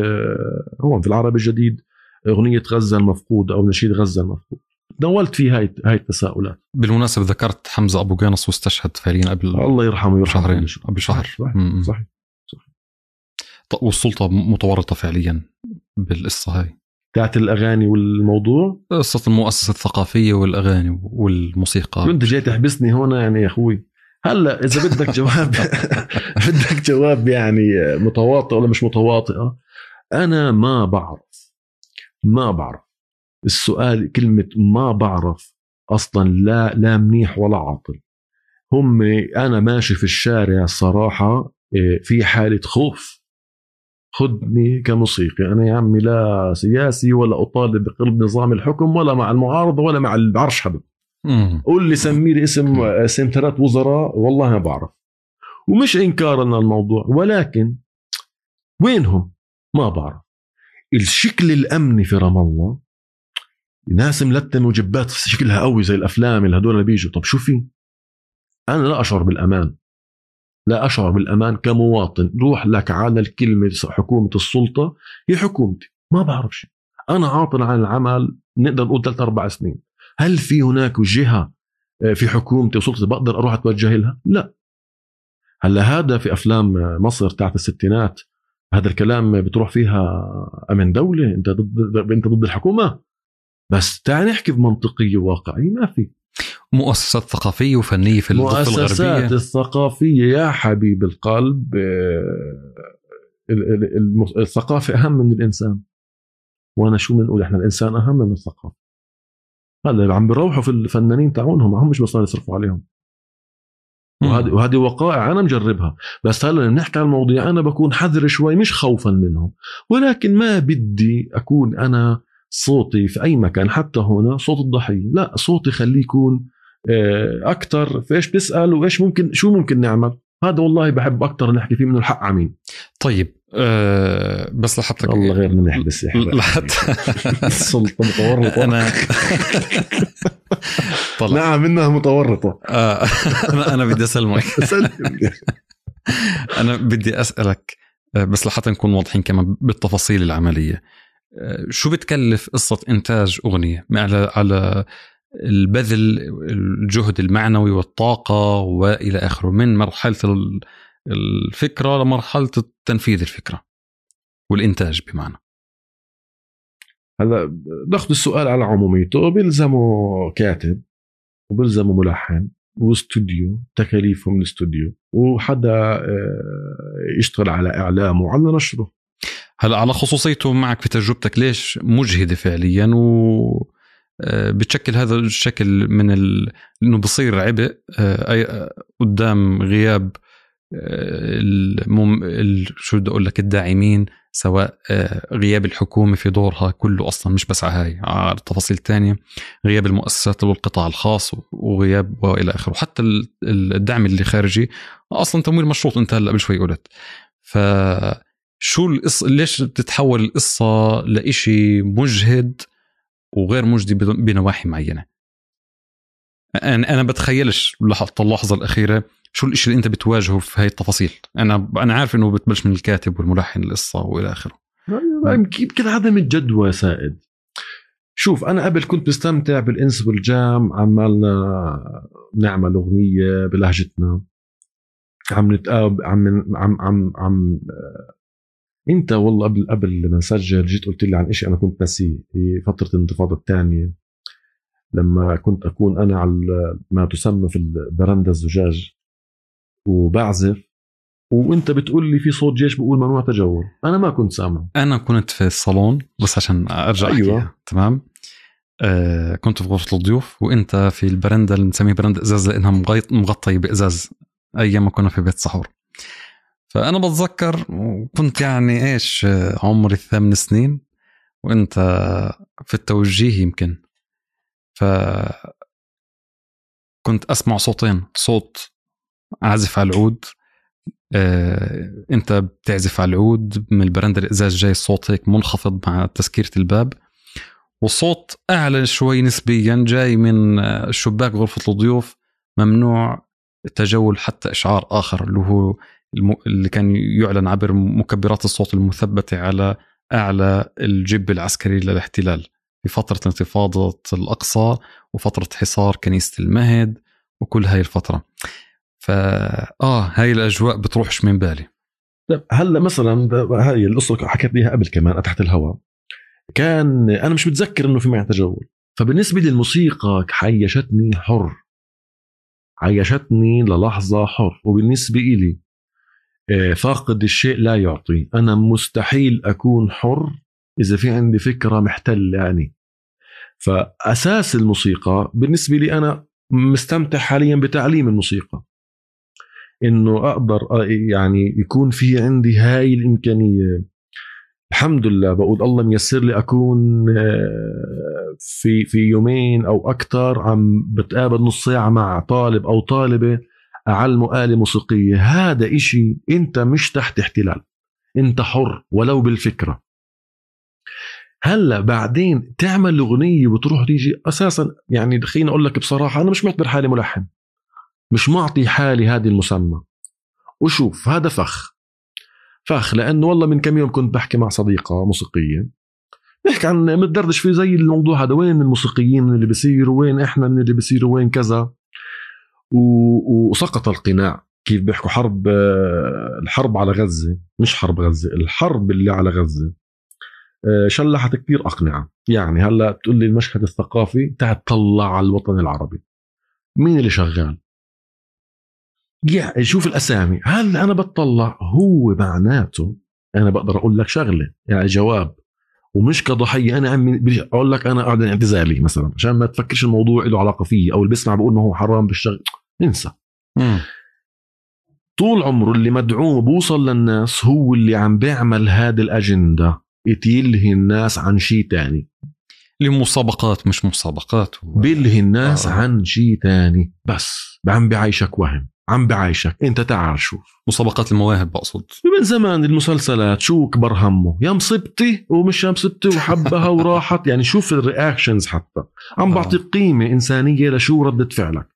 هون في العربي الجديد أغنية غزة المفقود أو نشيد غزة المفقود، دولت فيه هاي التساؤلات. بالمناسبة ذكرت حمزة أبو جانص واستشهد فعليا قبل الله يرحمه شهرين، قبل شهر. صحيح. والسلطة متورطة فعليا بالقصة هاي بتاعت الأغاني والموضوع، قصة المؤسسة الثقافية والأغاني والموسيقى. كنت جاي تحبسني هون يعني يا أخوي. هلا إذا بدك جواب بدك جواب يعني متواطئ ولا مش متواطئة، أنا ما بعرف السؤال، كلمة ما بعرف أصلا لا منيح ولا عاطل. أنا ماشي في الشارع الصراحة في حالة خوف، خدني كموسيقي أنا يا عمي، لا سياسي ولا أطالب بقلب نظام الحكم ولا مع المعارضة ولا مع العرش حدا. قول لي سمي لي اسم 3 وزراء، والله ما بعرف، ومش إنكارا للموضوع، ولكن وينهم ما بعرف. الشكل الأمني في رام الله ناس ملتم وجبات شكلها قوي زي الأفلام اللي هدول اللي بيجوا. طب شو في؟ أنا لا أشعر بالأمان كمواطن. روح لك على الكلمة حكومة السلطة، هي حكومتي، ما بعرف شيء، أنا عاطل عن العمل نقدر نقول 3-4 سنين. هل في هناك جهة في حكومتي وسلطتي بقدر أروح أتوجه لها؟ لا. هلا هذا في أفلام مصر تاعت الستينات هذا الكلام بتروح فيها أمن دولة، أنت ضد الحكومة، بس تعال نحكي بمنطقية واقعية. ما في مؤسسات ثقافية وفنية في الضفة الغربية. مؤسسات الثقافية يا حبيب القلب، الثقافة أهم من الإنسان. وأنا شو بنقول، إحنا الإنسان أهم من الثقافة. هذا عم بيروحوا في الفنانين تاعونهم، هم مش بس يصرفوا عليهم. وهذه وقائع أنا مجربها. بس هلا نحكي عن الموضوع أنا بكون حذر شوي، مش خوفا منهم، ولكن ما بدي أكون أنا صوتي في أي مكان حتى هنا صوت الضحية. لا، صوتي خليه يكون أكتر في إيش بتسأل وإيش ممكن، شو ممكن نعمل. هذا والله بحب أكتر نحكي فيه منه الحق عمين. طيب بس لحتى الله غير من يحبس لحتى السلطة متورطة. أنا نعم إنها متورطة. أنا بدي أسلمك. أنا بدي أسألك بس لحتى نكون واضحين كمان بالتفاصيل العملية. شو بتكلف قصة إنتاج أغنية على البذل الجهد المعنوي والطاقة وإلى آخره، من مرحلة الفكرة لمرحلة تنفيذ الفكرة والإنتاج بمعنى. هلا ناخذ السؤال على عموميته، بيلزمه كاتب وبيلزمه ملحن واستوديو، تكاليفهم الاستوديو، وحدا يشتغل على إعلامه وعلى نشره. هلا على خصوصيته معك في تجربتك ليش مجهدة فعليا، و بتشكل هذا الشكل من انه بصير عبء قدام غياب شو بدي اقول لك الداعمين، سواء غياب الحكومة في دورها كله اصلا، مش بس على التفاصيل الثانية، غياب المؤسسات والقطاع الخاص وغياب والى اخره، وحتى الدعم اللي خارجي اصلا تمويل مشروط انت هلا قبل شوي قلت. فشو القصة؟ ليش تتحول القصة لإشي مجهد وغير مجدي بنواحي معينة؟ أنا بتخيلش لحظة اللحظة الأخيرة شو الإشي اللي أنت بتواجهه في هاي التفاصيل. أنا عارف إنه بتبلش من الكاتب والملحن القصة وإلى آخره. يمكن عدم الجدوى سائد. شوف أنا قبل كنت بستمتع بالإنس والجام، عمالنا نعمل أغنية بلهجتنا، عم نتقاب عم انت والله قبل ما نسجل جيت قلت لي عن إشي انا كنت ناسيه في فتره الانتفاضه الثانيه، لما كنت اكون انا على ما تسمى في البرندة الزجاج وبعزف، وانت بتقول لي في صوت جيش بيقول ممنوع تجول. انا ما كنت سامع، انا كنت في الصالون بس عشان ارجع أيوة. تمام. كنت في غرفه الضيوف وانت في البرندة اللي نسميه برندة ازاز لانها مغطيه بازاز، ايام ما كنا في بيت سحور. فأنا بتذكر كنت يعني إيش عمري 8 سنين وإنت في التوجيه يمكن، فكنت أسمع صوتين، صوت عازف على العود، أنت بتعزف على العود من البرندة الإزاز، جاي الصوت هيك منخفض مع تسكيرة الباب، والصوت أعلى شوي نسبيا جاي من الشباك غرفة الضيوف، ممنوع التجول، حتى إشعار آخر اللي هو اللي كان يعلن عبر مكبرات الصوت المثبتة على أعلى الجب العسكري للاحتلال في فترة انتفاضة الأقصى وفترة حصار كنيسة المهد وكل هاي الفترة. هاي الأجواء بتروحش من بالي. هلا مثلا هاي القصة حكيت ليها قبل كمان تحت الهواء، كان أنا مش متذكر إنه في معي تجول، فبالنسبة للموسيقى عيشتني حر، عيشتني للحظة حر، وبالنسبة إلي فاقد الشيء لا يعطي. أنا مستحيل أكون حر إذا في عندي فكرة محتلة يعني. فأساس الموسيقى بالنسبة لي أنا مستمتع حاليا بتعليم الموسيقى، إنه أقدر يعني يكون في عندي هاي الإمكانية. الحمد لله بقول الله ميسر لي أكون في يومين أو أكتر عم بتقابل نص ساعة مع طالب أو طالبة أعلمه آلة موسيقية. هذا إشي أنت مش تحت احتلال، أنت حر ولو بالفكرة. هلا بعدين تعمل أغنية وتروح تيجي أساسا، يعني خليني أقول لك بصراحة أنا مش معتبر حالي ملحن، مش معطي حالي هذه المسمى. وشوف هذا فخ، لأنه والله من كم يوم كنت بحكي مع صديقة موسيقية، نحكي عن متدردش في زي الموضوع هذا، وين الموسيقيين من اللي بيصيروا، وين إحنا من اللي بيصيروا، وين كذا. وسقط القناع. كيف بيحكوا الحرب على غزة، مش حرب غزة، الحرب اللي على غزة شلحت كتير أقنعة. يعني هلأ تقول لي المشهد الثقافي، تعال تطلع على الوطن العربي، مين اللي شغال؟ يعني شوف الأسامي. هل أنا بتطلع هو معناته أنا بقدر أقول لك شغلة يعني جواب، ومش كضحية أنا أقول لك أنا أعلن اعتزالي مثلا عشان ما تفكرش الموضوع له علاقة فيه، أو اللي بيسمع بقول ما هو حرام بالشغل، انسى. طول عمره اللي مدعوم بوصل للناس هو اللي عم بيعمل هذه الأجندة، يتيلهي الناس عن شيء تاني، لمسابقات مش مسابقات، بيلهي الناس عن شيء تاني، بس عم بعيشك وهم، عم بعيشك انت تعال شوف مسابقات المواهب. بقصد من زمان المسلسلات شو كبر همه، يا مصبتي ومش يا مصبتي وحبها وراحت. يعني شوف الرياكشنز، حتى عم بعطي قيمة إنسانية لشو ردة فعلك.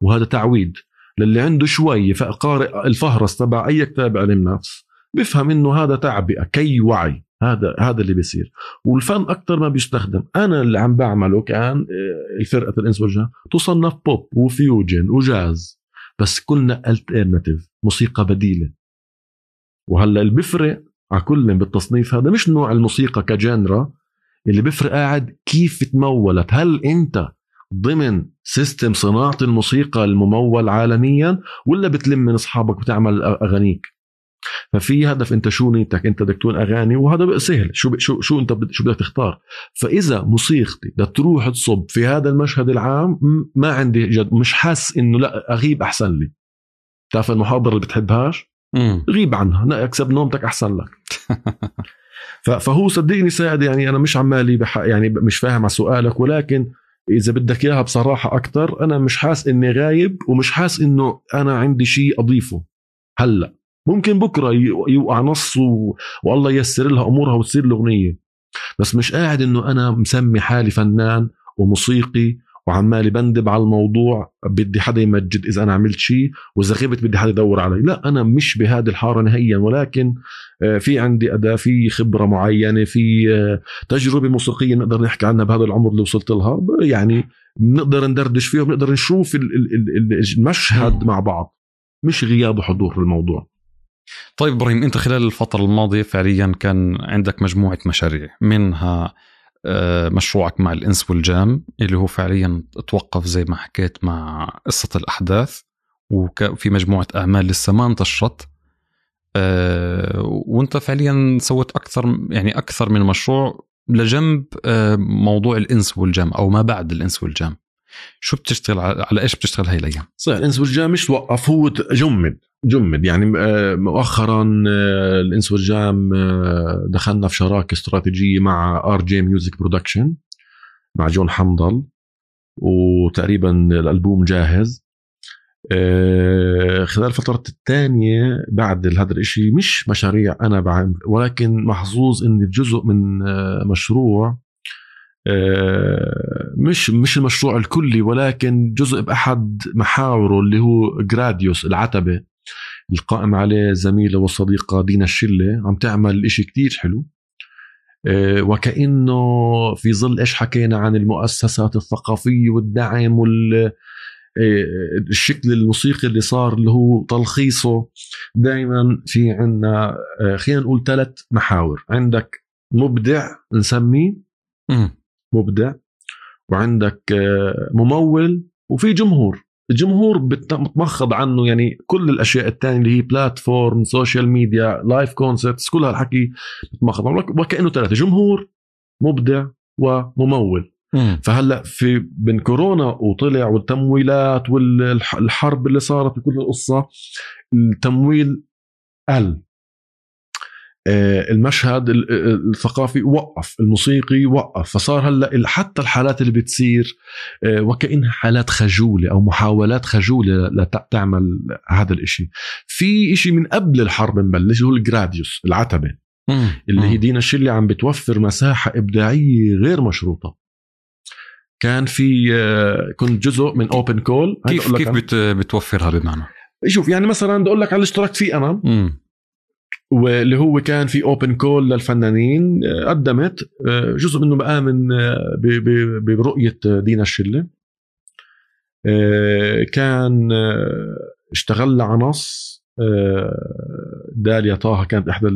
وهذا تعويد للي عنده شوي قارئ الفهرس تبع أي كتاب علم نفس، بفهم إنه هذا تعبئة كي وعي. هذا اللي بيصير. والفن أكتر ما بيستخدم. أنا اللي عم بعمله كان الفرقة الإنس والجان تصنف بوب وفيوجن وجاز، بس كلنا الترناتيف، موسيقى بديلة. وهلا اللي بيفرق على كل بالتصنيف هذا مش نوع الموسيقى كجانرا، اللي بيفرق قاعد كيف تمولت. هل أنت ضمن سيستم صناعة الموسيقى الممول عالميا، ولا بتلم من أصحابك وتعمل أغانيك؟ ففي هدف، أنت شو نيتك؟ أنت بدك تكون أغاني، وهذا بقى سهل. شو أنت شو بدك تختار؟ فإذا موسيقتي بدك تروح تصب في هذا المشهد العام، ما عندي جد، مش حاس إنه لا أغيب أحسن لي. تعرف المحاضرة اللي بتحبهاش غيب عنها، اكسب نومتك أحسن لك. فهو صدقني ساعد. يعني أنا مش عمالي يعني مش فاهم على سؤالك، ولكن إذا بدك إياها بصراحة أكتر، أنا مش حاس إني غايب، ومش حاس إنه أنا عندي شيء أضيفه. هلأ ممكن بكرة يوقع نص والله ييسر لها أمورها وتصير الأغنية، بس مش قاعد إنه أنا مسمي حالي فنان وموسيقي وعمالي بندب على الموضوع، بدي حدا يمجد إذا أنا عملت شيء، وإذا غبت بدي حدا يدور علي. لا، أنا مش بهذه الحارة نهائيا، ولكن في عندي أداة، في خبرة معينة، في تجربة موسيقية نقدر نحكي عنها بهذا العمر اللي وصلت لها. يعني نقدر ندردش فيها، ونقدر نشوف المشهد مع بعض، مش غياب وحضور في الموضوع. طيب إبراهيم، أنت خلال الفترة الماضية فعليا كان عندك مجموعة مشاريع، منها مشروعك مع الإنس والجام اللي هو فعليا توقف زي ما حكيت مع قصة الأحداث، وفي مجموعة أعمال لسه ما انتشرت، وانت فعليا سويت أكثر من مشروع لجنب موضوع الإنس والجام أو ما بعد الإنس والجام. شو بتشتغل على إيش بتشتغل هاي الأيام؟ صحيح، الإنس والجام مش توقف، هو جمد. يعني مؤخرا الإنس والجام دخلنا في شراكة استراتيجية مع RJ Music Production مع جون حمضل، وتقريبا الألبوم جاهز. خلال الفترة الثانية بعد هذا الاشي، مش مشاريع أنا بعمل، ولكن محظوظ إني جزء من مشروع، مش المشروع الكلي، ولكن جزء بأحد محاوره اللي هو جراديوس العتبة، القائم عليه زميلة وصديقة دينا الشلة، عم تعمل إشي كتير حلو. وكأنه في ظل إيش حكينا عن المؤسسات الثقافية والدعم الشكل الموسيقي اللي صار، اللي هو تلخيصه دائما في عنا خلينا نقول 3 محاور. عندك مبدع، نسميه مبدع، وعندك ممول، وفي جمهور. الجمهور بتمخض عنه يعني كل الأشياء التانية اللي هي بلاتفورم، سوشيال ميديا، لايف كونسرتس، كل هالحكي بتمخض عنه. وكأنه 3: جمهور، مبدع، وممول. فهلأ في بين كورونا وطلع والتمويلات والحرب اللي صارت وكل القصة، التمويل قل، المشهد الثقافي وقف، الموسيقي وقف. فصار هلأ حتى الحالات اللي بتصير وكأنها حالات خجولة أو محاولات خجولة لتعمل هذا الاشي. في اشي من قبل الحرب مبلش، هو الجراديوس العتبة، اللي هي دينا الشلة عم بتوفر مساحة إبداعية غير مشروطة. كان في كنت جزء من اوبن كول. كيف بتوفرها بمعنى؟ شوف، يعني مثلا بدي اقول لك على الاشتراك فيه انا، واللي هو كان في اوبن كول للفنانين، قدمت جزء منه بآمن برؤية دينا الشلة. كان اشتغلنا على نص، داليا طه كانت احدى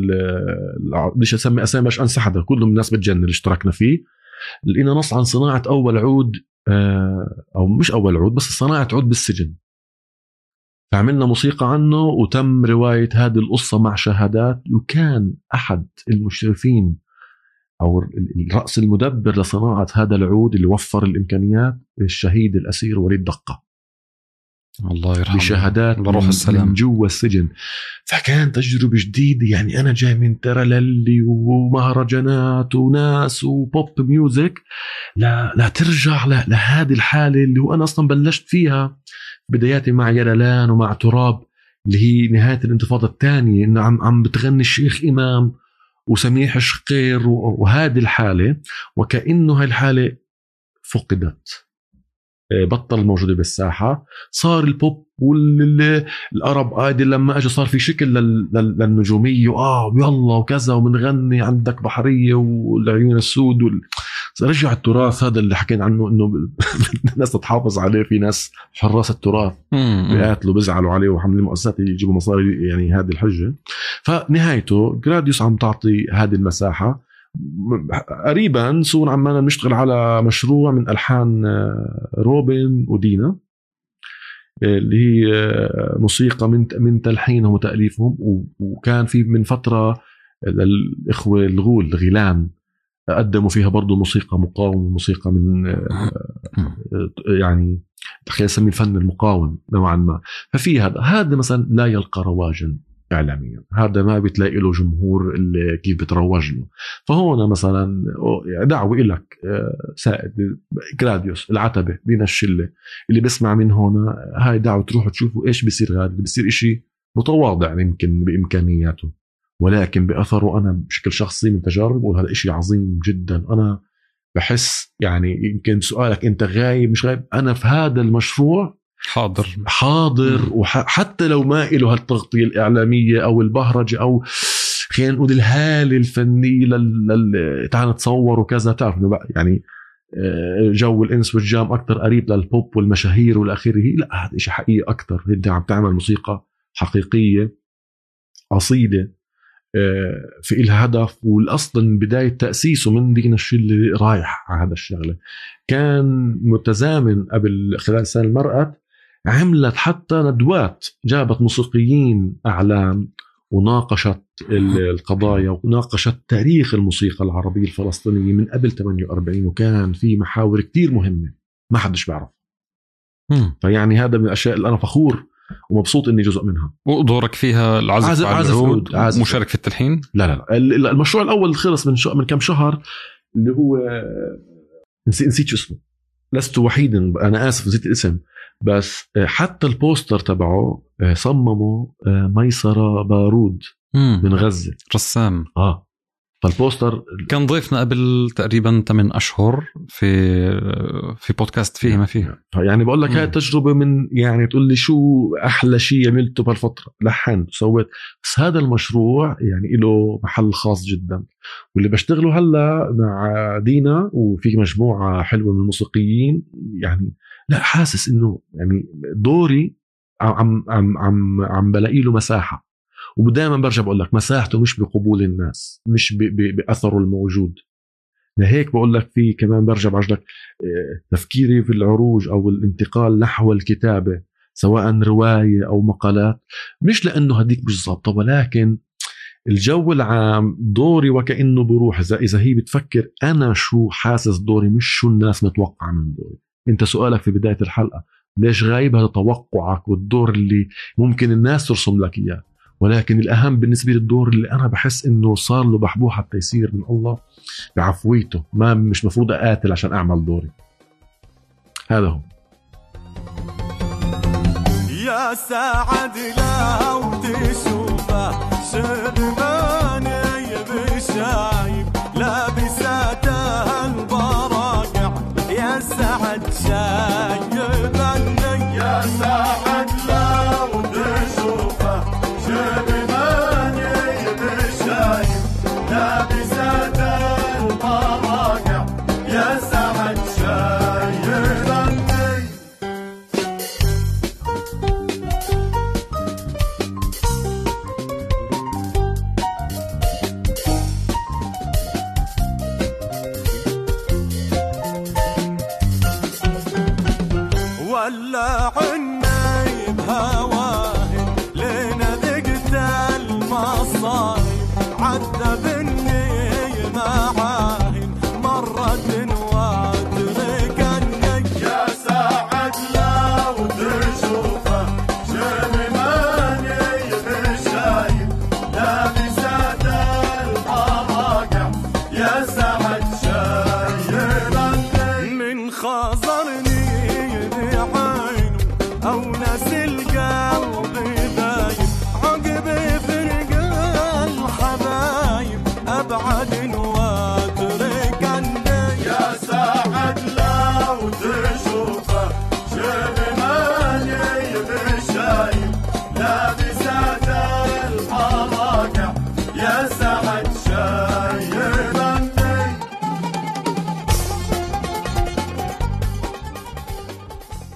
بديش اسمي اسامي باش انسى حدا، كلهم الناس بتجنن اللي اشتركنا فيه. لقينا نص عن صناعة أول عود، أو مش أول عود بس صناعة عود بالسجن. فعملنا موسيقى عنه، وتم رواية هذه القصة مع شهادات. وكان أحد المشرفين أو الرأس المدبر لصناعة هذا العود اللي وفر الإمكانيات الشهيد الأسير وليد دقة، الله يرحمه، بشهادات من جوا السجن. فكان تجربة جديدة. يعني أنا جاي من ترللي ومهرجانات وناس وبوب ميوزك، لا ترجع لهذه الحالة اللي هو أنا أصلا بلشت فيها بداياتي مع يلالان ومع تراب، اللي هي نهاية الانتفاضة الثانية، إنه عم بتغني الشيخ إمام وسميح شقير وهذه الحالة. وكأنه هاي الحالة فقدت. بطل موجودة بالساحة. صار البوب والأرب ايدل لما اجى صار في شكل للنجومية يلا وكذا ومنغني عندك بحرية والعيون السود رجع التراث هذا اللي حكينا عنه انه الناس تتحافظ عليه. في ناس حراس التراث بيقاتلوا بيزعلوا عليه وحمل المؤسسات يجيبوا مصاري يعني هذه الحجة. فنهايته جراديوس عم تعطي هذه المساحة. قريبا سون عمالنا نشتغل على مشروع من ألحان روبن ودينا اللي هي موسيقى من تلحينهم وتأليفهم. وكان في من فترة الإخوة الغيلان قدموا فيها برضو موسيقى مقاومة، موسيقى من يعني خلينا نسميه الفن المقاوم نوعا ما. ففي هذا مثلا لا يلقى رواجا إعلاميا، هذا ما بتلاقي له جمهور اللي كيف بتروج له. فهون مثلا دعوة إلك سائد جراديوس العتبة بين الشلة اللي بسمع من هون، هاي دعوة تروحوا تشوفوا إيش بيصير. هذا بيصير إشي متواضع يمكن بإمكانياته، ولكن بأثره أنا بشكل شخصي من تجارب وهذا إشي عظيم جدا. أنا بحس يعني يمكن سؤالك أنت غايب مش غايب، أنا في هذا المشروع حاضر وحتى لو ما إله هالتغطية الإعلامية أو البهرجة أو خلينا نقول الهالة الفنية تعال نتصور وكذا. تعرف يعني جو الإنس والجام أكتر قريب للبوب والمشاهير والآخره. لا، هذا إشي حقيقي أكتر. أنت عم تعمل موسيقى حقيقية أصيلة في إلها هدف. والأصل بداية تأسيسه من دينا الشلة رايح على هذا الشغلة. كان متزامن قبل خلال سنة المرأة عملت حتى ندوات، جابت موسيقيين أعلام وناقشت القضايا وناقشت تاريخ الموسيقى العربية الفلسطينية من قبل 48. وكان في محاور كتير مهمة ما حدش بعرف. فيعني هذا من الأشياء اللي أنا فخور ومبسوط إني جزء منها. ودورك فيها العزف على العود، مشارك في التلحين؟ لا المشروع الأول خلص من كم شهر، اللي هو نسيت شو اسمه، لست وحيدا، أنا آسف نسيت الاسم. بس حتى البوستر تبعه صممه ميسرة بارود من غزة، رسام. فالبوستر كان ضيفنا قبل تقريبا 8 أشهر في بودكاست فيه ما فيه. يعني بقول لك هاي تجربة من يعني تقول لي شو أحلى شيء عملته بهالفترة، لحنت وسويت. بس هذا المشروع يعني له محل خاص جدا. واللي بشتغله هلا مع دينا وفي مجموعة حلوة من الموسيقيين، يعني لا حاسس إنه يعني دوري عم بلاقي له مساحة. ودائما برجع بقول لك مساحته مش بقبول الناس، مش بأثره الموجود. لهيك بقول لك في كمان برجع بعجلك تفكيري في العروج أو الانتقال نحو الكتابة، سواء رواية أو مقالات، مش لأنه هديك مش ضابطة، ولكن الجو العام دوري وكأنه بروح. إذا هي بتفكر أنا شو حاسس دوري مش شو الناس متوقع من دوري. أنت سؤالك في بداية الحلقة ليش غايب، هذا توقعك والدور اللي ممكن الناس ترسم لك إياه. ولكن الأهم بالنسبة للدور اللي أنا بحس إنه صار له بحبوحة التيسير من الله بعفويته، ما مش مفروض أقاتل عشان أعمل دوري. هذا هو. يا سعد لو تشوفه شباني بشايب لابساته البراقع، يا سعد شايبني، يا سعد لو تشوفه شباني بشايب لابساته البراقع، يا سعد شايبني.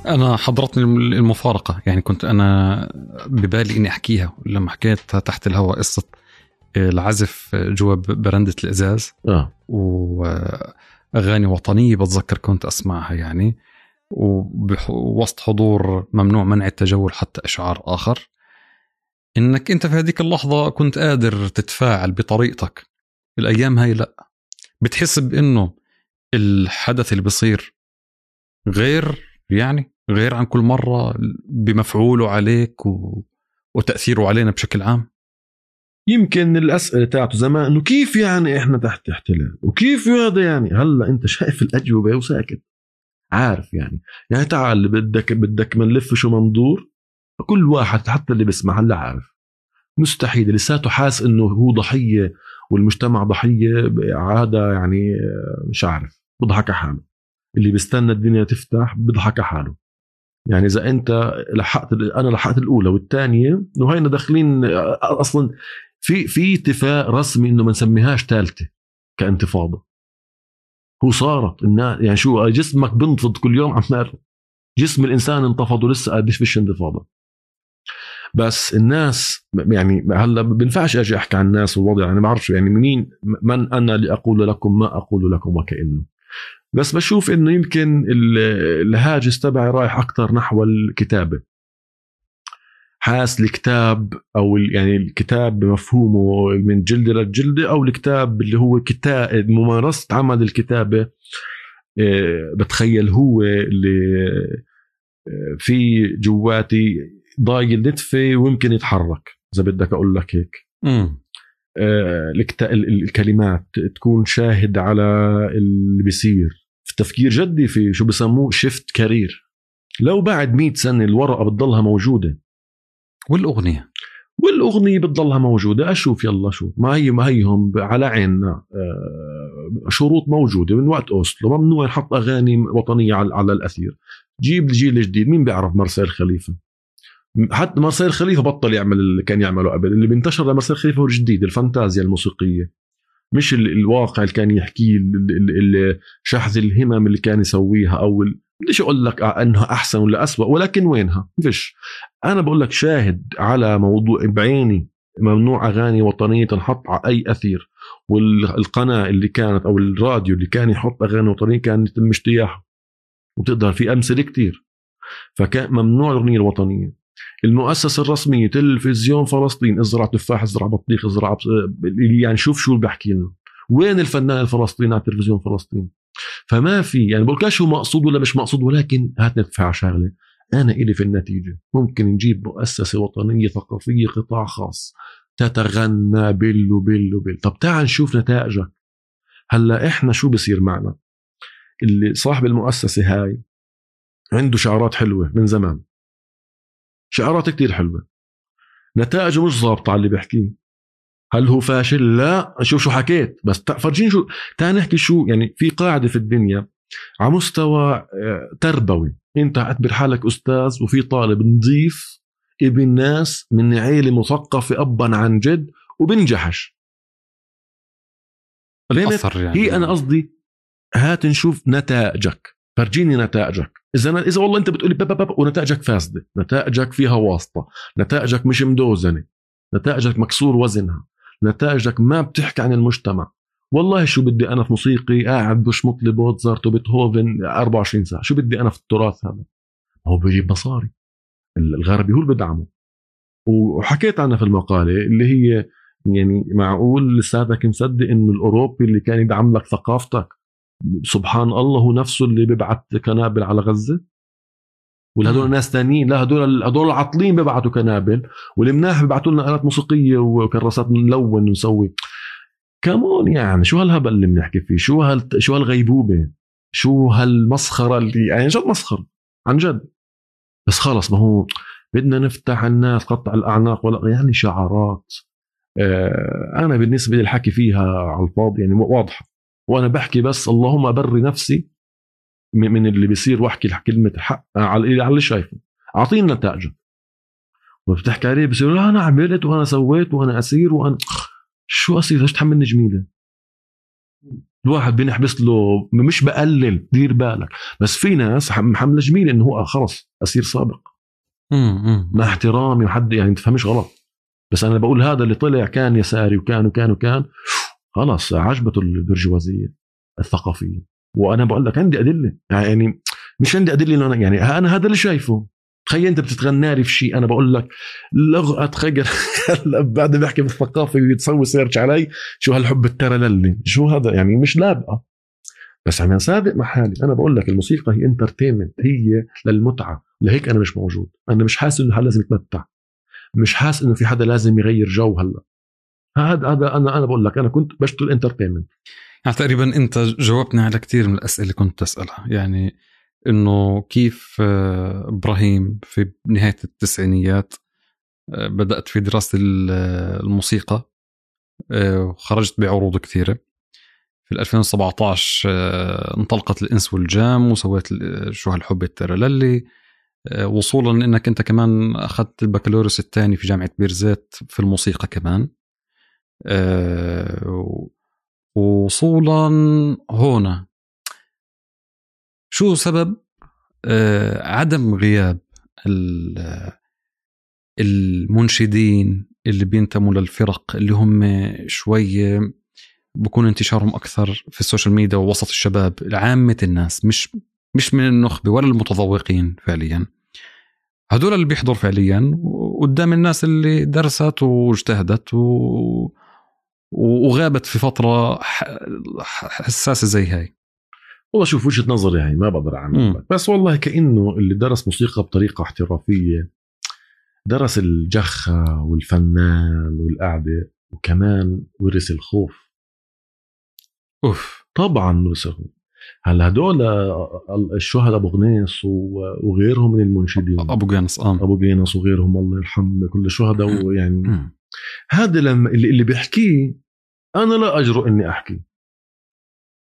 أنا حضرتني المفارقة، يعني كنت أنا ببالي إني أحكيها لما حكيت تحت الهواء قصة العزف جوا برندة الإزاز وأغاني وطنية بتذكر كنت أسمعها يعني، ووسط حضور ممنوع منع التجول حتى إشعار آخر، إنك أنت في هذيك اللحظة كنت قادر تتفاعل بطريقتك. الأيام هاي لأ، بتحس بأنه الحدث اللي بيصير غير عن كل مرة بمفعوله عليك وتأثيره علينا بشكل عام. يمكن الأسئلة تاعته زمان إنه كيف يعني إحنا تحت احتلال وكيف هذا، يعني هلا أنت شايف الأجوبة وساكت عارف يعني تعال بدك منلف شو مندور. كل واحد حتى اللي بسمع هلا عارف مستحيل لساته حاس إنه هو ضحية والمجتمع ضحية عادة، يعني مش عارف بضحك حاله. اللي بيستنى الدنيا تفتح بضحك حاله. يعني إذا أنت أنا لحقت الأولى والثانية وهينا داخلين أصلا في اتفاق رسمي إنه ما نسميهاش ثالثة كانتفاضة. هو صارت يعني شو جسمك بنتفض كل يوم عمال جسم الإنسان انتفض ولسه قادش فيش انتفاضة. بس الناس يعني هلا بنفعش أجي أحكي عن الناس والوضع، يعني ما بعرفش يعني من أنا لأقول لكم ما أقول لكم وكأنه. بس بشوف إنه يمكن الهاجس تبعي رايح أكتر نحو الكتابة. حاس الكتاب أو يعني الكتاب بمفهومه من جلد للجلد، أو الكتاب اللي هو كتاب ممارسة عمل الكتابة. بتخيل هو اللي في جواتي ضايق النتفة ويمكن يتحرك إذا بدك أقول لك هيك. الكلمات تكون شاهد على اللي بيصير في تفكير جدي في شو بسموه شيفت كارير. لو بعد 100 سنة الورقة بتضلها موجودة والأغنية بتضلها موجودة. أشوف يلا شو ما هيهم على عيننا. شروط موجودة من وقت أوسلو، ممنوع يحط أغاني وطنية على الأثير. جيب الجيل الجديد، مين بيعرف مارسيل خليفة؟ حتى مارسيل خليفة بطل يعمل اللي كان يعمله قبل. اللي بينتشر لمارسيل خليفة هو الجديد، الفانتازيا الموسيقية، مش الواقع اللي كان يحكيه، شحذ الهمم اللي كان يسويها. أو بديش أقول لك أنها أحسن ولا أسوأ، ولكن وينها فيش. أنا بقول لك شاهد على موضوع بعيني ممنوع أغاني وطنية تنحط على أي أثير، والقناة اللي كانت أو الراديو اللي كان يحط أغاني وطنية كان يتم اجتياحه. وتقدر في أمثلة كتير. فكان ممنوع الأغنية الوطنية. المؤسسة الرسمية تلفزيون فلسطين، ازرع تفاح ازرع بطيخ ازرع يعني شوف شو بحكي لنا. وين الفنان الفلسطيني على تلفزيون فلسطين؟ فما في يعني بقولكاش هو مقصود ولا مش مقصود، ولكن هات ندفع شغلة. أنا إلي في النتيجة ممكن نجيب مؤسسة وطنية ثقافية قطاع خاص تتغنى بل. طب تعال نشوف نتائجك. هلا إحنا شو بصير معنا؟ اللي صاحب المؤسسة هاي عنده شعارات حلوة من زمان، شعارات كتير حلوة، نتائجه مش ضابطة على اللي بيحكيه. هل هو فاشل؟ لا. شوف شو حكيت بس فرجين شو. تعال نحكي شو يعني. في قاعدة في الدنيا على مستوى تربوي، انت اعتبر حالك أستاذ وفي طالب نظيف ابن ناس من عيلة مثقفة أبا عن جد وبنجحش. يعني هي أنا قصدي هات نشوف نتائجك، فرجيني نتائجك. إذا والله أنت بتقولي باب ونتائجك فاسدة، نتائجك فيها واسطة، نتائجك مش مدوزنة، نتائجك مكسور وزنها، نتائجك ما بتحكي عن المجتمع. والله شو بدي أنا في موسيقي قاعد بشمط لي موتزارت وبيتهوفن 24 ساعة؟ شو بدي أنا في التراث هذا؟ هو بيجيب مصاري، الغربي هو اللي بدعمه. وحكيت عنها في المقالة اللي هي يعني معقول لساتك مصدق إنه الأوروبي اللي كان يدعم لك ثقافتك سبحان الله هو نفسه اللي بيبعت كنابل على غزة؟ ولا هدول ناس تانيين؟ لا، هدول عطلين بيبعتوا كنابل، والمناح بيبعتوا لنا آلات موسيقية وكراسات نلون ونسوي. كمون يعني شو هالهبل اللي بنحكي فيه؟ شو هالغيبوبة؟ شو هالمسخرة اللي يعني جد مسخر عن جد. بس خلص ما هو بدنا نفتح الناس قطع الأعناق ولا يعني شعارات. أنا بالنسبة للحكي فيها على الفاضي يعني واضحة، وأنا بحكي بس اللهم أبري نفسي من اللي بيصير واحكي كلمة حق على اللي شايفه. أعطينا نتائج. وبتحكي عليه بيصير لا أنا عملت وأنا سويت وأنا أسير وأنا شو أسير؟ ليش تحملني جميلة؟ الواحد بنحبس له، مش بقلل، دير بالك، بس في ناس حملة جميل انه هو خلص أسير سابق مع احترامي وحد يعني تفهمش غلط، بس انا بقول هذا اللي طلع كان يساري وكان خلاص عجبته البرجوازية الثقافية. وانا بقول لك عندي أدلة، يعني مش عندي أدلة يعني انا هذا اللي شايفه. تخيل انت بتتغنى لي في شيء، انا بقول لك لغة تخيل بعد ما بحكي بالثقافة ويتسوي سيرش علي شو هالحب الترى للي شو هذا، يعني مش لابقة. بس انا صادق مع حالي، انا بقول لك الموسيقى هي انترتينمنت، هي للمتعة. لهيك انا مش موجود، انا مش حاسس انه حدا لازم يتمتع، مش حاسس انه في حدا لازم يغير جو. هلا هذا انا بقول لك انا كنت بشتغل انترتينمنت. يعني تقريبا انت جاوبتني على كتير من الاسئله اللي كنت اسالها، يعني انه كيف ابراهيم في نهايه التسعينيات بدات في دراسه الموسيقى وخرجت بعروض كثيره. في 2017 انطلقت الانس والجام وسويت شو هالحب الترللي، وصولا انك انت كمان اخذت البكالوريوس الثاني في جامعه بيرزيت في الموسيقى كمان. وصولا هنا شو سبب عدم غياب المنشدين اللي بينتموا للفرق اللي هم شوية بكون انتشارهم أكثر في السوشيال ميديا ووسط الشباب عامة الناس، مش من النخبة ولا المتذوقين فعليا، هدول اللي بيحضر فعليا قدام الناس اللي درست واجتهدت وغابت في فترة حساسة زي هاي. والله شوف وجهة نظري هاي ما بقدر أعمل، بس والله كأنه اللي درس موسيقى بطريقة احترافية درس الجخة والفنان والقعدة، وكمان ورث الخوف. طبعا ورث الخوف. هلا هدول الشهداء أبو غنيس وغيرهم من المنشدين، أبو جينس وغيرهم الله يرحمه كل الشهداء. ويعني هذا لما اللي بيحكيه أنا لا أجرؤ إني أحكي،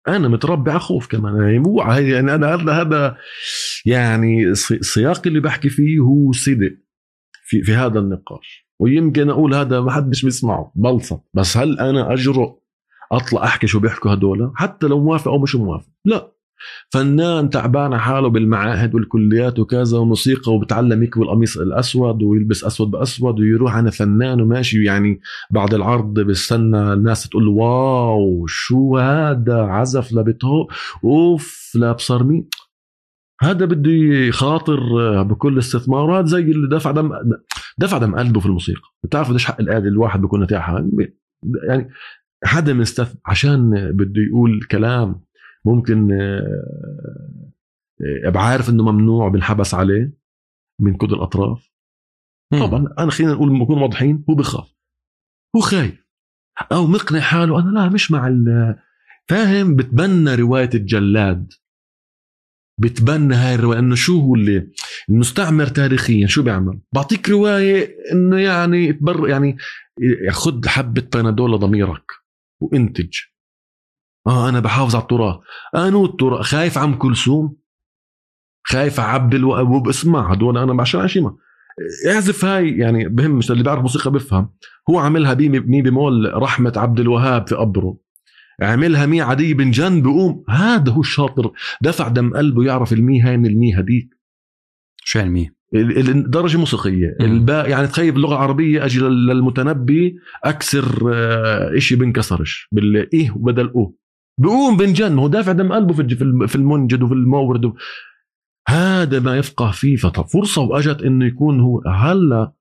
أنا متربي على خوف كمان يعني أنا هذا يعني سياق اللي بحكي فيه هو صدق في هذا النقاش، ويمكن أقول هذا ما حدش بيسمعه بلصة، بس هل أنا أجرؤ أطلع أحكي شو بيحكوا هدول حتى لو موافق أو مش موافق؟ لا. فنان تعبان حاله بالمعاهد والكليات وكذا وموسيقى وبتعلم يكوي القميص الأسود ويلبس أسود بأسود ويروح أنا فنان وماشي، يعني بعد العرض بستنى الناس تقول واو شو هذا عزف لبيته أوف لا بصرمي. هذا بده يخاطر بكل استثمار، وهذا زي اللي دفع دم قلبه في الموسيقى. بتعرف قديش حق الآلة الواحد بيكون نتاعها، يعني حدا من عشان بده يقول كلام ممكن بعارف انه ممنوع بالحبس عليه من كل الاطراف. طبعا انا خلينا نقول نكون واضحين، هو بخاف، هو خايف او مقنع حاله انا لا مش مع فاهم. بتبنى روايه الجلاد، بتبنى هاي الروايه انه شو هو اللي المستعمر تاريخيا شو بيعمل، بعطيك روايه انه يعني يعني خد حبه بنادول لضميرك وانتج. انا بحافظ على التراث، التراث خايف عم كلثوم، خايف عبد الوهاب. اسمع هدول انا عشان عشيمه اعزف هاي يعني بهم، مش اللي بيعرف موسيقى بفهم. هو عملها مي بمول رحمه عبد الوهاب في قبره، عملها مي عدي بن جن بقوم. هذا هو الشاطر، دفع دم قلبه يعرف المي هاي من المي هديك. شو المي؟ الدرجه موسيقيه الباء. يعني تخيل اللغه العربيه اجي للمتنبي اكسر اشي بنكسرش بالايه وبدل او بقوم بنجن. هو دافع دم قلبه في المنجد وفي المورد. هذا ما يفقه فيه. فرصه واجت انه يكون هو. هلا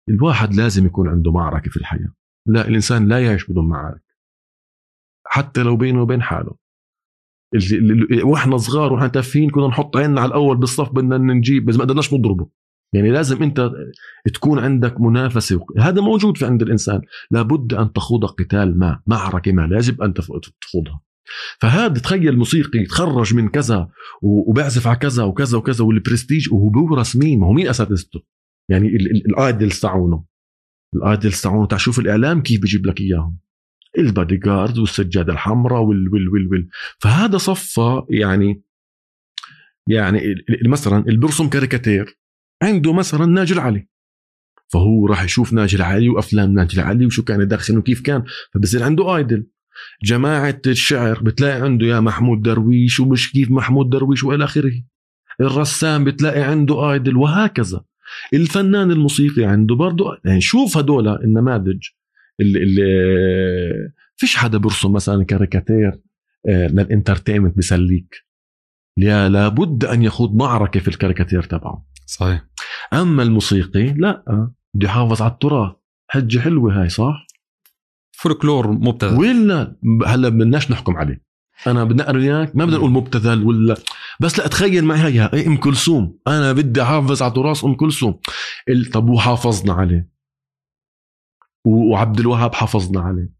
الواحد لازم يكون عنده معركه في الحياه. لا الانسان لا يعيش بدون معارك حتى لو بينه وبين حاله. واحنا صغار واحنا تافهين كنا نحط عيننا على الاول بالصف بدنا نجيب، بس ما قدرناش نضربه. يعني لازم انت تكون عندك منافسه، هذا موجود في عند الانسان. لابد ان تخوض قتال ما، معركه ما يجب ان تخوضها. فهذا تخيل موسيقي يتخرج من كذا وبيعزف على كذا وكذا وكذا والبرستيج، وهو بورث مين؟ ما هو مين اساتذته؟ يعني الايدلز تاعونه تاع شوف الاعلام كيف بيجيب لك اياهم، البادي جارد والسجاده الحمراء وال. فهذا صفى يعني مثلا اللي بيرسم كاريكاتير عنده مثلا ناجي علي، فهو راح يشوف ناجي علي وافلام ناجي علي وشو كان يدخن وكيف كان، فبصير عنده ايدل. جماعة الشعر بتلاقي عنده يا محمود درويش ومش كيف محمود درويش وإلى آخره. الرسام بتلاقي عنده آيدل وهكذا. الفنان الموسيقي عنده برضو. يعني شوف هدول النماذج اللي فيش حدا برسم مثلا كاريكاتير للانترتينمنت بسليك، لابد أن يخوض معركة في الكاريكاتير تبعه. صحيح. أما الموسيقي لا، بده يحافظ على التراث. حجة حلوة هاي صح؟ فولكلور مبتذل ولا هلا بدناش نحكم عليه. أنا بدنا أرياك ما بدنا نقول مبتذل ولا، بس لا تخيل معي هي أم كلثوم. أنا بدي أحافظ على تراث أم كلثوم. طب وحافظنا عليه، وعبد الوهاب حافظنا عليه،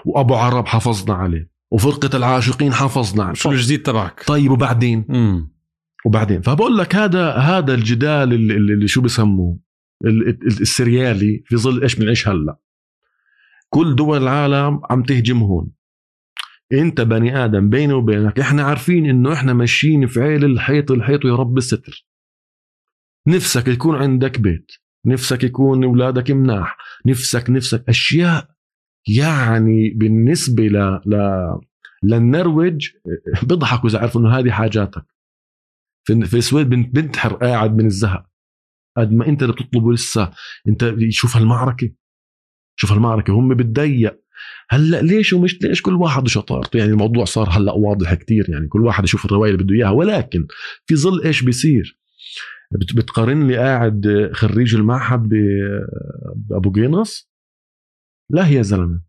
وأبو عرب حافظنا عليه، وفرقة العاشقين حافظنا عليه. شو الجديد تبعك؟ طيب وبعدين فبقول لك هذا الجدال اللي شو بسموه السريالي في ظل إيش بنعيش هلا. كل دول العالم عم تهجم هون. انت بني آدم بيني وبينك احنا عارفين انه احنا ماشيين في عيل الحيط ويا رب الستر. نفسك يكون عندك بيت، نفسك يكون اولادك مناح، نفسك اشياء يعني بالنسبة للنرويج بيضحكوا اذا عرفوا انه هذه حاجاتك. في السويد بنتحر قاعد من الزهق قد ما انت اللي بتطلبه. لسه انت شوف هالمعركة هم بتضيق هلا. ليش ومش ليش؟ كل واحد شطارته. يعني الموضوع صار هلا واضح كتير، يعني كل واحد يشوف الرواية اللي بده اياها. ولكن في ظل ايش بيصير؟ بتقارن لي قاعد خريج المعهد بأبو قينص؟ لا يا زلمة،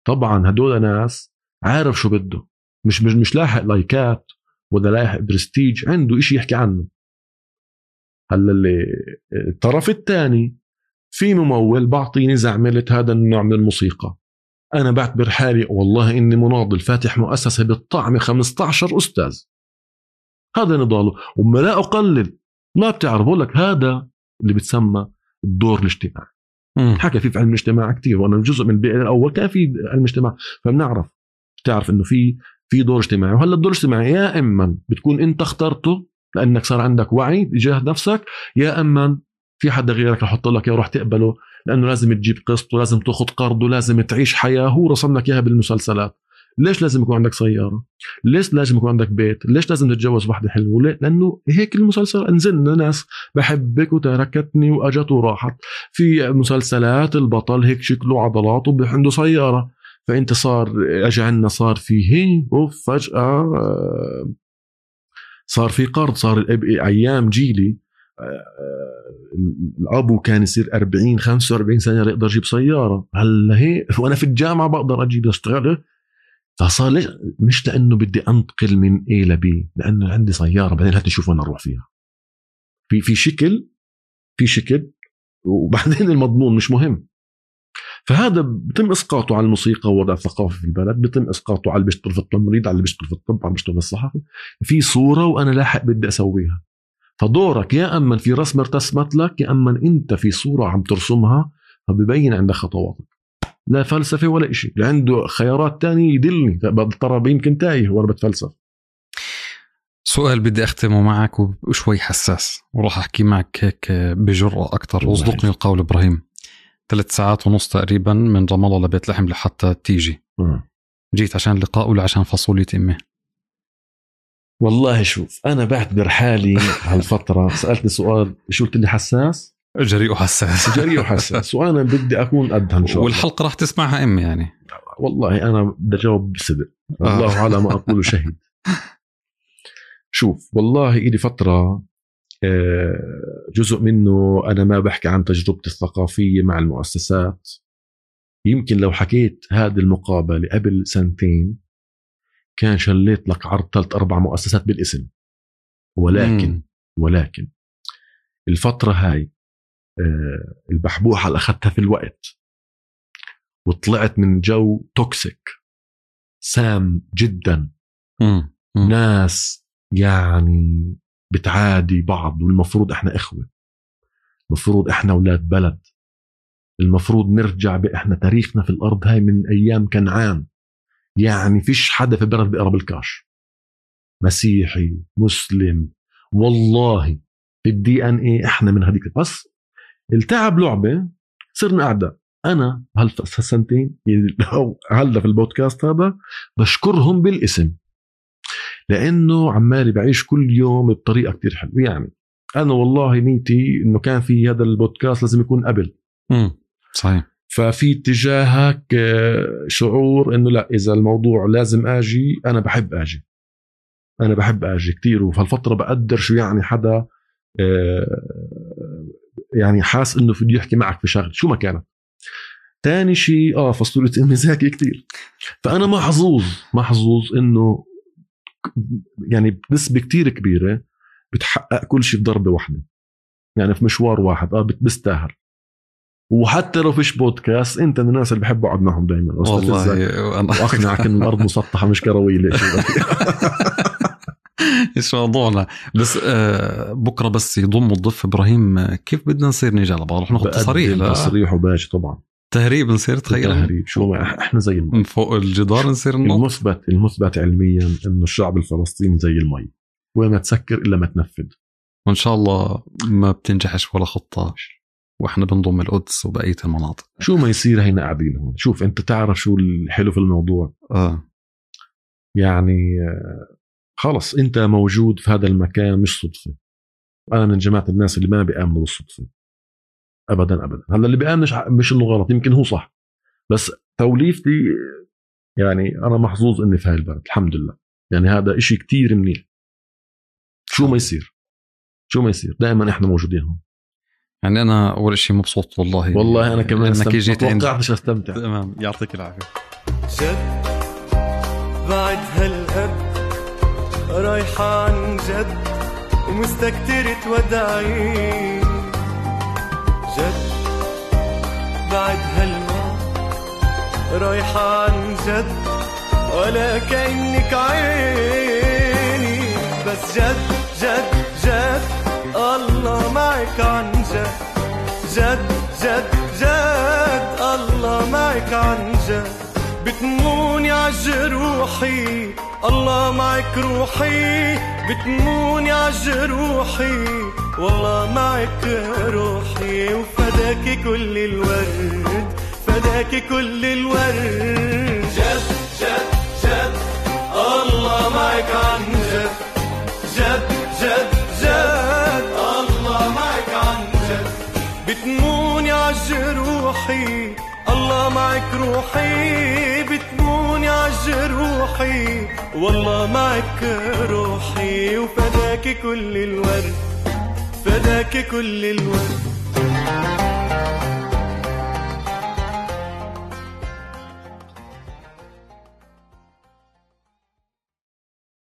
طبعا هدول ناس عارف شو بده. مش لاحق لايكات ولا لاحق برستيج، عنده إشي يحكي عنه. هلا اللي الطرف الثاني في ممول بعطيني زعملة هذا النوع من الموسيقى، أنا بعتبر حالي والله إني مناضل فاتح مؤسسة بالطعم 15 أستاذ. هذا نضاله وما لا أقلل. ما بتعرف بقول لك هذا اللي بتسمى الدور الاجتماعي. حكى فيه في علم الاجتماع كتير، وأنا جزء من البيئة الأول كان في علم الاجتماع، فبنعرف تعرف إنه في دور اجتماعي. وهلا الدور الاجتماعي يا إما بتكون أنت اخترته لأنك صار عندك وعي تجاه نفسك، يا إما في حدا غيرك رح يحط لك وراح تقبله لأنه لازم تجيب قسط ولازم تأخذ قرض ولازم تعيش حياة هو رسم لك إياها بالمسلسلات. ليش لازم يكون عندك سيارة؟ ليش لازم يكون عندك بيت؟ ليش لازم تتجوز واحدة حلوة؟ لأنه هيك المسلسل. انزلنا ناس بحبك وتركتني وأجت وراحت. في مسلسلات البطل هيك شكله عضلات وعنده سيارة، فأنت صار أجعلنا صار فيه وفجأة صار في قرض. صار أيام جيلي الأبو كان يصير 40-45 سنة يقدر يجيب سيارة. هلا هيك وأنا في الجامعة بقدر أجيب أشتغل. فصار ليش؟ مش لأنه بدي أنتقل من A ل B، لأنه عندي سيارة بعدين هات نشوف وين أروح فيها. في شكل وبعدين المضمون مش مهم. فهذا بتم إسقاطه على الموسيقى ووضع الثقافي في البلد، بتم إسقاطه على اللي بيشتغل في التمريض، على اللي بيشتغل في الطب، على اللي بيشتغل في الصحافة. في صورة وأنا لاحق بدي أسويها. فدورك يا أما في رسم ارتسمت لك، يا أما أنت في صورة عم ترسمها فبيبين عندك خطواتك. لا فلسفة ولا إشي، اللي عنده خيارات تانية يدلني بضطر يمكن تايه وأنا بتفلسف. سؤال بدي أختمه معك وشوي حساس وراح أحكي معك هيك بجرأة أكتر. وصدقني القول إبراهيم، 3 ساعات ونص تقريبا من رام الله لبيت لحم لحتى تيجي. جيت عشان لقاء ولا عشان فاصولية أمي؟ والله شوف، أنا بعتبر حالي هالفترة سألتني سؤال شو قلت لي؟ حساس، جريء وحساس وأنا بدي أكون قدها إن شاء الله. والحلقة راح تسمعها أمي يعني. والله أنا بدي أجاوب بصدق. الله على ما أقول شهيد. شوف والله إلي فترة جزء منه أنا ما بحكي عن تجربتي الثقافية مع المؤسسات. يمكن لو حكيت هذه المقابلة قبل 2 سنين كان شليت لك عرض 3-4 مؤسسات بالاسم. ولكن الفترة هاي البحبوحة اللي أخذتها في الوقت وطلعت من جو توكسيك سام جدا. ناس يعني بتعادي بعض، والمفروض احنا اخوة، المفروض احنا اولاد بلد، المفروض نرجع احنا تاريخنا في الارض هاي من ايام كنعان. يعني فيش حدا في البلد بيقرب الكاش، مسيحي مسلم، والله في الDNA احنا من هذيك. بس التعب لعبة صرنا أعداء. أنا هالسنتين هلا في البودكاست هذا بشكرهم بالاسم، لأنه عمالي بعيش كل يوم بطريقة كتير حلوة. يعني أنا والله نيتي إنه كان في هذا البودكاست لازم يكون قبل. صحيح. ففي اتجاهك شعور إنه لا، إذا الموضوع لازم أجي، أنا بحب أجي كتير. وفي هالفترة بقدر شو يعني حدا يعني حاس إنه بده يحكي معك في شغل شو ما كانت. تاني شيء فصولة أمي ذكي كتير، فأنا محظوظ إنه يعني بنسبة كتير كبيرة بتحقق كل شيء في ضربة واحدة، يعني في مشوار واحد بستاهل. وحتى لو فيش بودكاست، انت من الناس اللي بحب اقعد معهم دائما والله، واقنعك ان الارض مسطحه مش كرويه. ليش ايش موضوعنا؟ بس بكره بس يضم الضيف ابراهيم، كيف بدنا نصير نيجي على بعض؟ رح ناخذ تصريح وباجي طبعا تهريب، نصير تهريب. شو احنا زي من فوق الجدار نصير المثبت علميا انه الشعب الفلسطيني زي المي، وما تسكر الا ما تنفذ. وان شاء الله ما بتنجحش ولا خطه، واحنا بنضم القدس وبقيه المناطق. شو ما يصير هينا قاعدين هون. شوف انت تعرف شو الحلو في الموضوع؟ يعني خلص انت موجود في هذا المكان، مش صدفه. انا من جماعه الناس اللي ما بيامنوا بالصدفه ابدا. هلا اللي بيامنش مش انه غلط، يمكن هو صح، بس توليفتي يعني انا محظوظ اني في هاي البلد الحمد لله. يعني هذا اشي كتير منيح. شو ما يصير دائما احنا موجودين هون. يعني أنا أول شيء مبسوط والله أنا كمان توقعتش أستمتع. تمام، يعطيك العافية. جد بعد هالقد رايحة عن جد ومستكترة وداعي. جد بعد هالما رايحة عن جد ولا كأنك عيني. بس جد الله معك عن جد الله معك عن جد. بتموني عالجروحي الله معك روحي، بتموني عالجروحي والله معك روحي. وفداكي كل الورد، فداكي كل الورد. جد الله معك عن جد الله معك عن جد. بتموني عالجروحي الله معك روحي، بتموني عالجروحي والله معك روحي. وفداكي كل الورد، فداكي كل الورد.